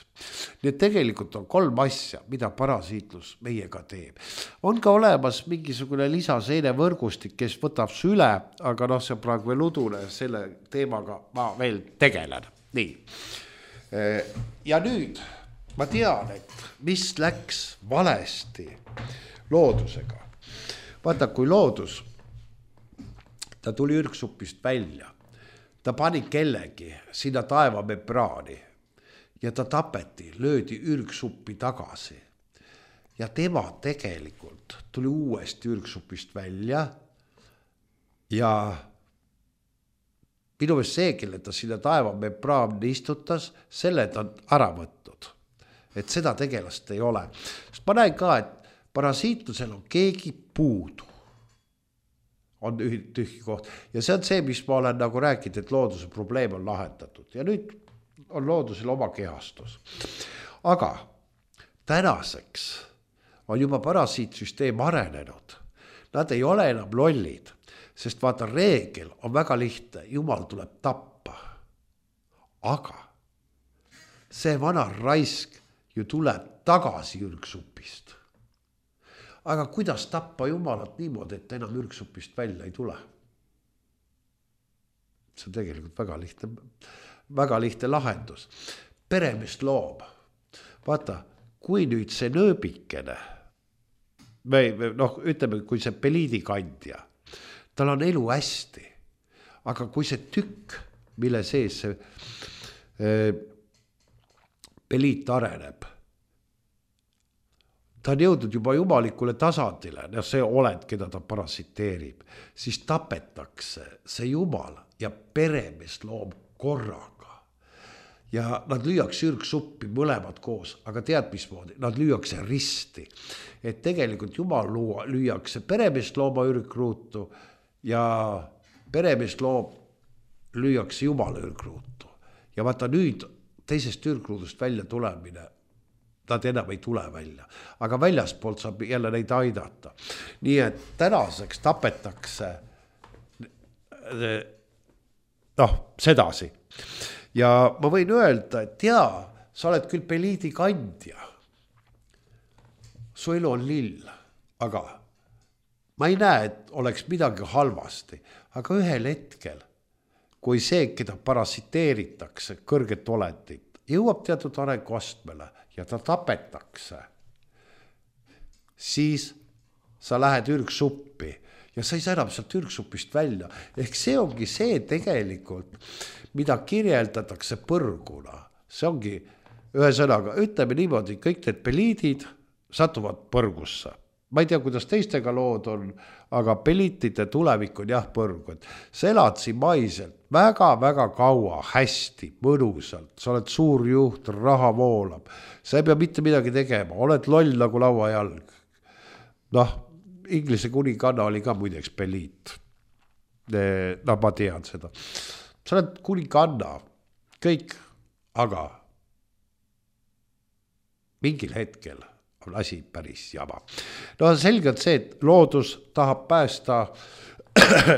[SPEAKER 2] Need tegelikult on kolm asja, mida parasiitlus meiega teeb. On ka olemas mingisugune lisaseene võrgustik, kes võtab su üle, aga noh, see on praegu veel udune, selle teemaga ma veel tegelen. Nii. Ja nüüd ma tean, et mis läks valesti loodusega. Vaata, kui loodus, ta tuli ürgsupist välja, ta pani kellegi sinna taevamembraani ja ta tapeti, löödi ürgsuppi tagasi. Ja tema tegelikult tuli uuesti ürgsupist välja ja minu meelest see, kelle ta sinna taevamembraani istutas, selle ta on ära võtnud. Et seda tegelast ei ole. Sest ma näen ka, et parasiitlusel on keegi puudu. On tühki koht. Ja see on see, mis ma olen nagu rääkinud, et looduse probleem on lahendatud. Ja nüüd on loodusel oma kehastus. Aga tänaseks on juba parasiitsüsteem arenenud. Nad ei ole enam lollid, sest vaata, reegel on väga lihtne. Jumal tuleb tappa. Aga see vana raisk ju tuleb tagasi ürgsupist. Aga kuidas tappa Jumalat niimoodi, et enam ürgsupist välja ei tule? See on tegelikult väga lihtne, väga lihtne lahendus. Peremees loom. Vaata, kui nüüd see nööbikene, või noh, ütleme, kui see peliidikandja, tal on elu hästi, aga kui see tükk, mille sees see äh, peliit areneb, ta on jõudnud juba jumalikule tasandile, no see oled, keda ta parasiteerib, siis tapetakse see jumal ja peremees loom korraga. Ja nad lüüakse ürgsuppi mõlemad koos, aga tead mismoodi, nad lüüakse risti. Et tegelikult jumal luua, lüüakse peremees looma ürgruutu ja peremees loom lüüakse jumala ürgruutu. Ja vaata nüüd teisest ürgruudust välja tulemine nad enam ei tule välja, aga väljaspoolt saab jälle neid aidata. Nii et tänaseks tapetakse noh, sedasi. Ja ma võin öelda, et jaa, sa oled küll peliidi kandja. Su elu on lill, aga ma ei näe, et oleks midagi halvasti, aga ühel hetkel, kui see, keda parasiteeritakse, kõrget olendit, jõuab teatud arenguastmele ja ta tapetakse, siis sa lähed ürgsuppi ja sa ei saa enam sealt ürgsupist välja. Ehk see ongi see tegelikult, mida kirjeldatakse põrguna. See ongi ühesõnaga, ütleme niimoodi, kõik need peliidid satuvad põrgusse. Ma ei tea, kuidas teistega lood on, aga peliitide tulevik on jah põrgu. Sa elad siin maiselt väga-väga kaua, hästi, mõnusalt. Sa oled suur juht, raha voolab. Sa ei pea mitte midagi tegema, oled loll nagu lauajalg. Noh, Inglise kuninganna oli ka muideks peliit. No ma tean seda. Sa oled kuninganna, kõik, aga mingil hetkel on asi päris jama. No selgelt see, et loodus tahab päästa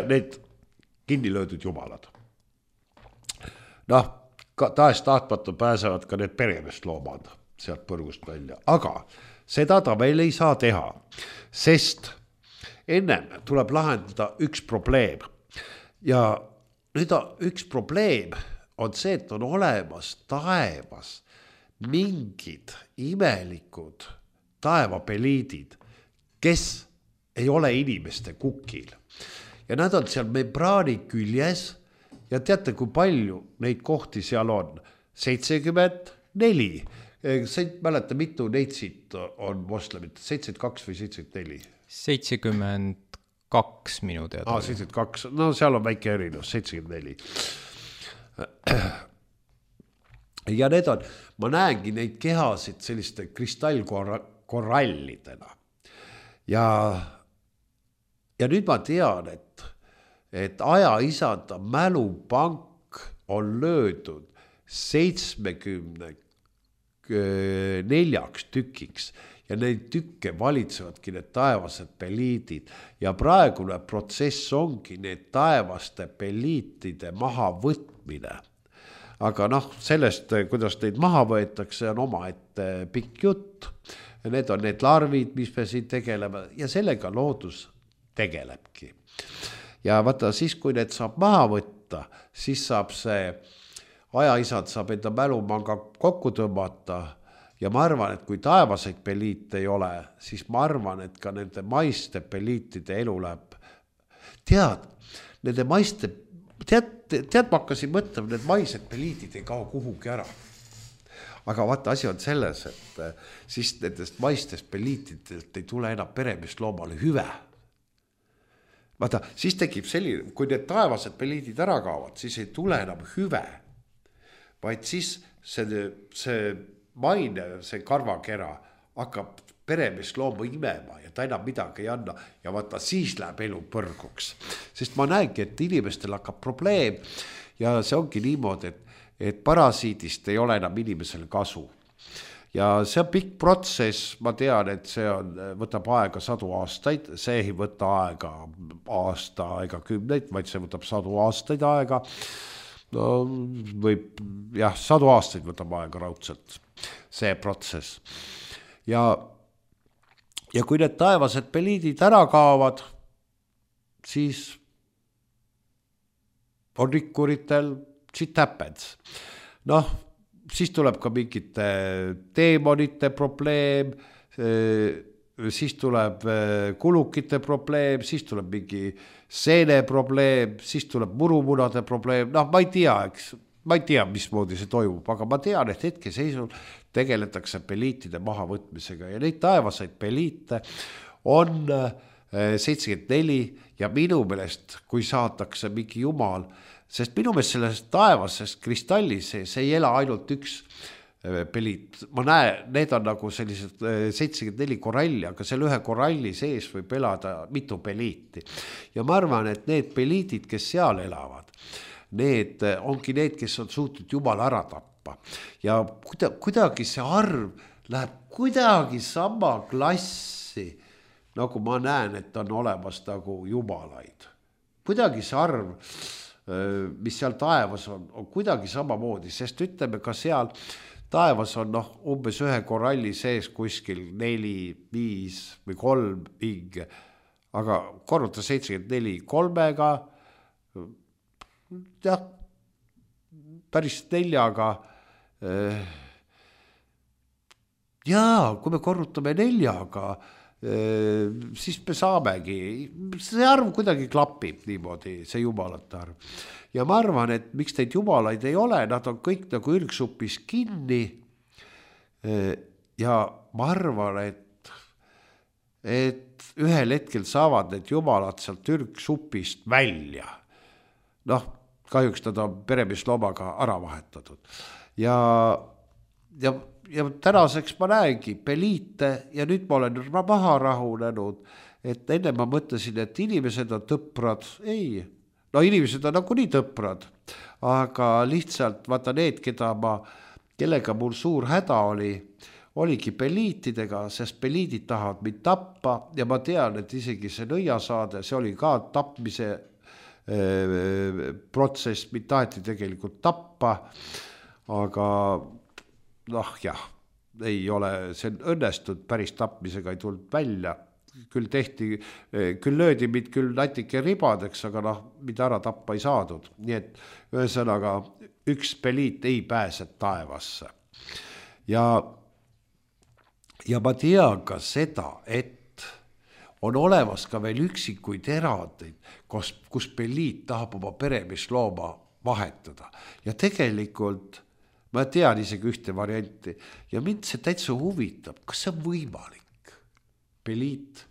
[SPEAKER 2] need kinni löödud jumalad. Noh, tahes tahtmatu pääsevad ka need peremest loomad sealt põrgust välja. Aga seda ta veel ei saa teha, sest ennem tuleb lahendada üks probleem. Ja nüüd üks probleem on see, et on olemas taevas mingid imelikud taevapeliidid, kes ei ole inimeste kukil. Ja nad on seal membraani küljes ja teate, kui palju neid kohti seal on? seitsekümmend neli. Sa ei mäleta, mitu neid siit on moslemit? seitsekümmend kaks või seitsekümmend neli?
[SPEAKER 1] seitsekümmend kaks minu teada.
[SPEAKER 2] Ah, seitsekümmend kaks, no seal on väike erinevus, seitsekümmend neli. Ja need on, ma näengi neid kehasid selliste kristallkorallidena. Ja, ja nüüd ma tean, et, et aja isanda mälupank on löödud seitsmekümne neljaks tükiks ja neid tükke valitsevadki need taevased peliidid ja praegune protsess ongi need taevaste peliitide maha võtmine. Aga noh, sellest, kuidas neid maha võetakse, on oma ette pikk jutt. Need on need larvid, mis me siin tegeleme ja sellega loodus tegelebki. Ja vaata, siis kui need saab maha võtta, siis saab see ajaisad saab enda mälumanga kokku tõmmata ja ma arvan, et kui taevaseid peliite ei ole, siis ma arvan, et ka nende maiste peliitide elu läheb. Tead, nende maiste, tead, tead ma hakkasin mõtlema, need maised peliitid ei kao kuhugi ära. Aga vaata, asi on selles, et siis nendest maistest peliitidelt ei tule enam peremist loomale hüve. Vaata, siis tekib selline, kui need taevased peliidid ära kaovad, siis ei tule enam hüve, vaid siis see, see maine, see karvakera hakkab peremist looma imema ja ta enam midagi ei anna ja vaata, siis läheb elu põrguks. Sest ma näengi, et inimestel hakkab probleem ja see ongi niimoodi, et, et parasiidist ei ole enam inimesel kasu. Ja see on pikk protsess, ma tean, et see on, võtab aega sadu aastaid, see ei võta aega aasta ega kümneid, vaid see võtab sadu aastaid aega. No võib, jah, sadu aastaid võtab aega raudselt see protsess. Ja, ja kui need taevased peliidid ära kaovad, siis on rikkuritel shit happens. Noh, siis tuleb ka mingite teemonite probleem, siis tuleb kulukite probleem, siis tuleb mingi seene probleem, siis tuleb murumunade probleem. Noh, ma ei tea, eks, ma ei tea, mismoodi see toimub, aga ma tean, et hetke seisul tegeletakse peliitide maha võtmisega ja neid taevaseid peliite on seitsekümmend neli ja minu meelest, kui saadakse mingi jumal, sest minu meelest sellest taevasest kristallis see ei ela ainult üks peliit. Ma näen, need on nagu sellised seitsekümmend neli koralli, aga selle ühe koralli sees võib elada mitu peliiti. Ja ma arvan, et need peliitid, kes seal elavad, need ongi need, kes on suutnud jumala ära tappa. Ja kuidagi see arv läheb kuidagi sama klassi, nagu ma näen, et on olemas nagu jumalaid. Kuidagi see arv, mis seal taevas on, on kuidagi samamoodi, sest ütleme ka seal taevas on noh, umbes ühe koralli sees kuskil neli, viis või kolm hinge, aga korruta seitsekümmend neli kolmega, jah, päris neljaga. Jaa, kui me korrutame neljaga, siis me saamegi, see arv kuidagi klapib niimoodi, see jumalate arv. Ja ma arvan, et miks neid jumalaid ei ole, nad on kõik nagu ürgsupis kinni. Ja ma arvan, et, et ühel hetkel saavad need jumalad sealt ürgsupist välja. Noh, kahjuks nad on peremeesloomaga ära vahetatud. Ja, ja ja tänaseks ma näengi peliite ja nüüd ma olen maha rahunenud, et enne ma mõtlesin, et inimesed on tõprad. Ei, no inimesed on nagu nii tõprad, aga lihtsalt vaata need, keda ma, kellega mul suur häda oli, oligi peliitidega, sest peliidid tahavad mind tappa ja ma tean, et isegi see nõiasaade, see oli ka tapmise äh, protsess, mind taheti tegelikult tappa, aga noh jah, ei ole, see õnnestud, päris tapmisega ei tulnud välja, küll tehti, küll löödi mind küll natike ribadeks, aga noh, mida ära tappa ei saadud, nii et ühesõnaga üks peliit ei pääse taevasse. Ja, ja ma tean ka seda, et on olemas ka veel üksikuid erandeid, kus, kus peliit tahab oma peremeeslooma vahetada ja tegelikult ma tean isegi ühte varianti ja mind see täitsa huvitab, kas see on võimalik peliit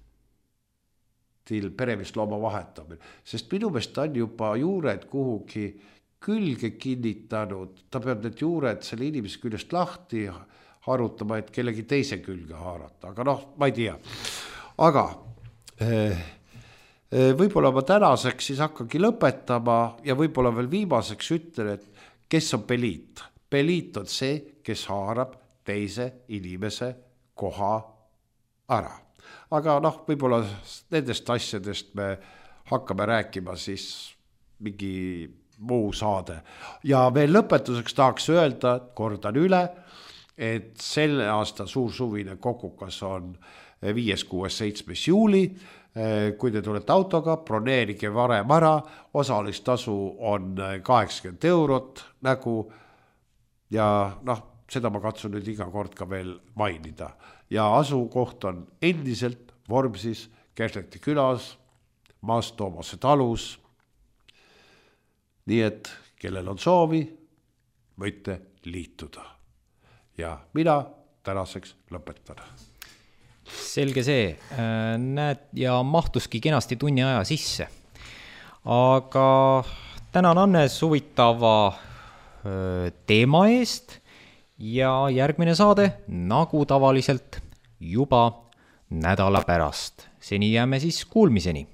[SPEAKER 2] til peremeeslooma vahetamine, sest minu meelest ta on juba juured kuhugi külge kinnitanud, ta peab need juured selle inimese küljest lahti harutama, et kellegi teise külge haarata, aga noh, ma ei tea. Aga võib-olla ma tänaseks siis hakkagi lõpetama ja võib-olla veel viimaseks ütlen, et kes on peliit? Peliit on see, kes haarab teise inimese koha ära. Aga noh, võib-olla nendest asjadest me hakkame rääkima siis mingi muu saade. Ja veel lõpetuseks tahaks öelda, kordan üle, et selle aasta suursuvine kokukas on viies, kuues, seitsmes juuli. Kui te tulete autoga, broneerige varem ära, osalistasu on kaheksakümmend eurot nagu. Ja noh, seda ma katsun nüüd iga kord ka veel mainida. Ja asukoht on endiselt Vormsis, Kersleti külas, Maas Toomase talus. Nii et kellel on soovi, võite liituda. Ja mina tänaseks lõpetan.
[SPEAKER 1] Selge see, näed, ja mahtuski kenasti tunni aja sisse. Aga tänan Annes huvitava teema eest ja järgmine saade nagu tavaliselt juba nädala pärast. Seni jääme siis kuulmiseni.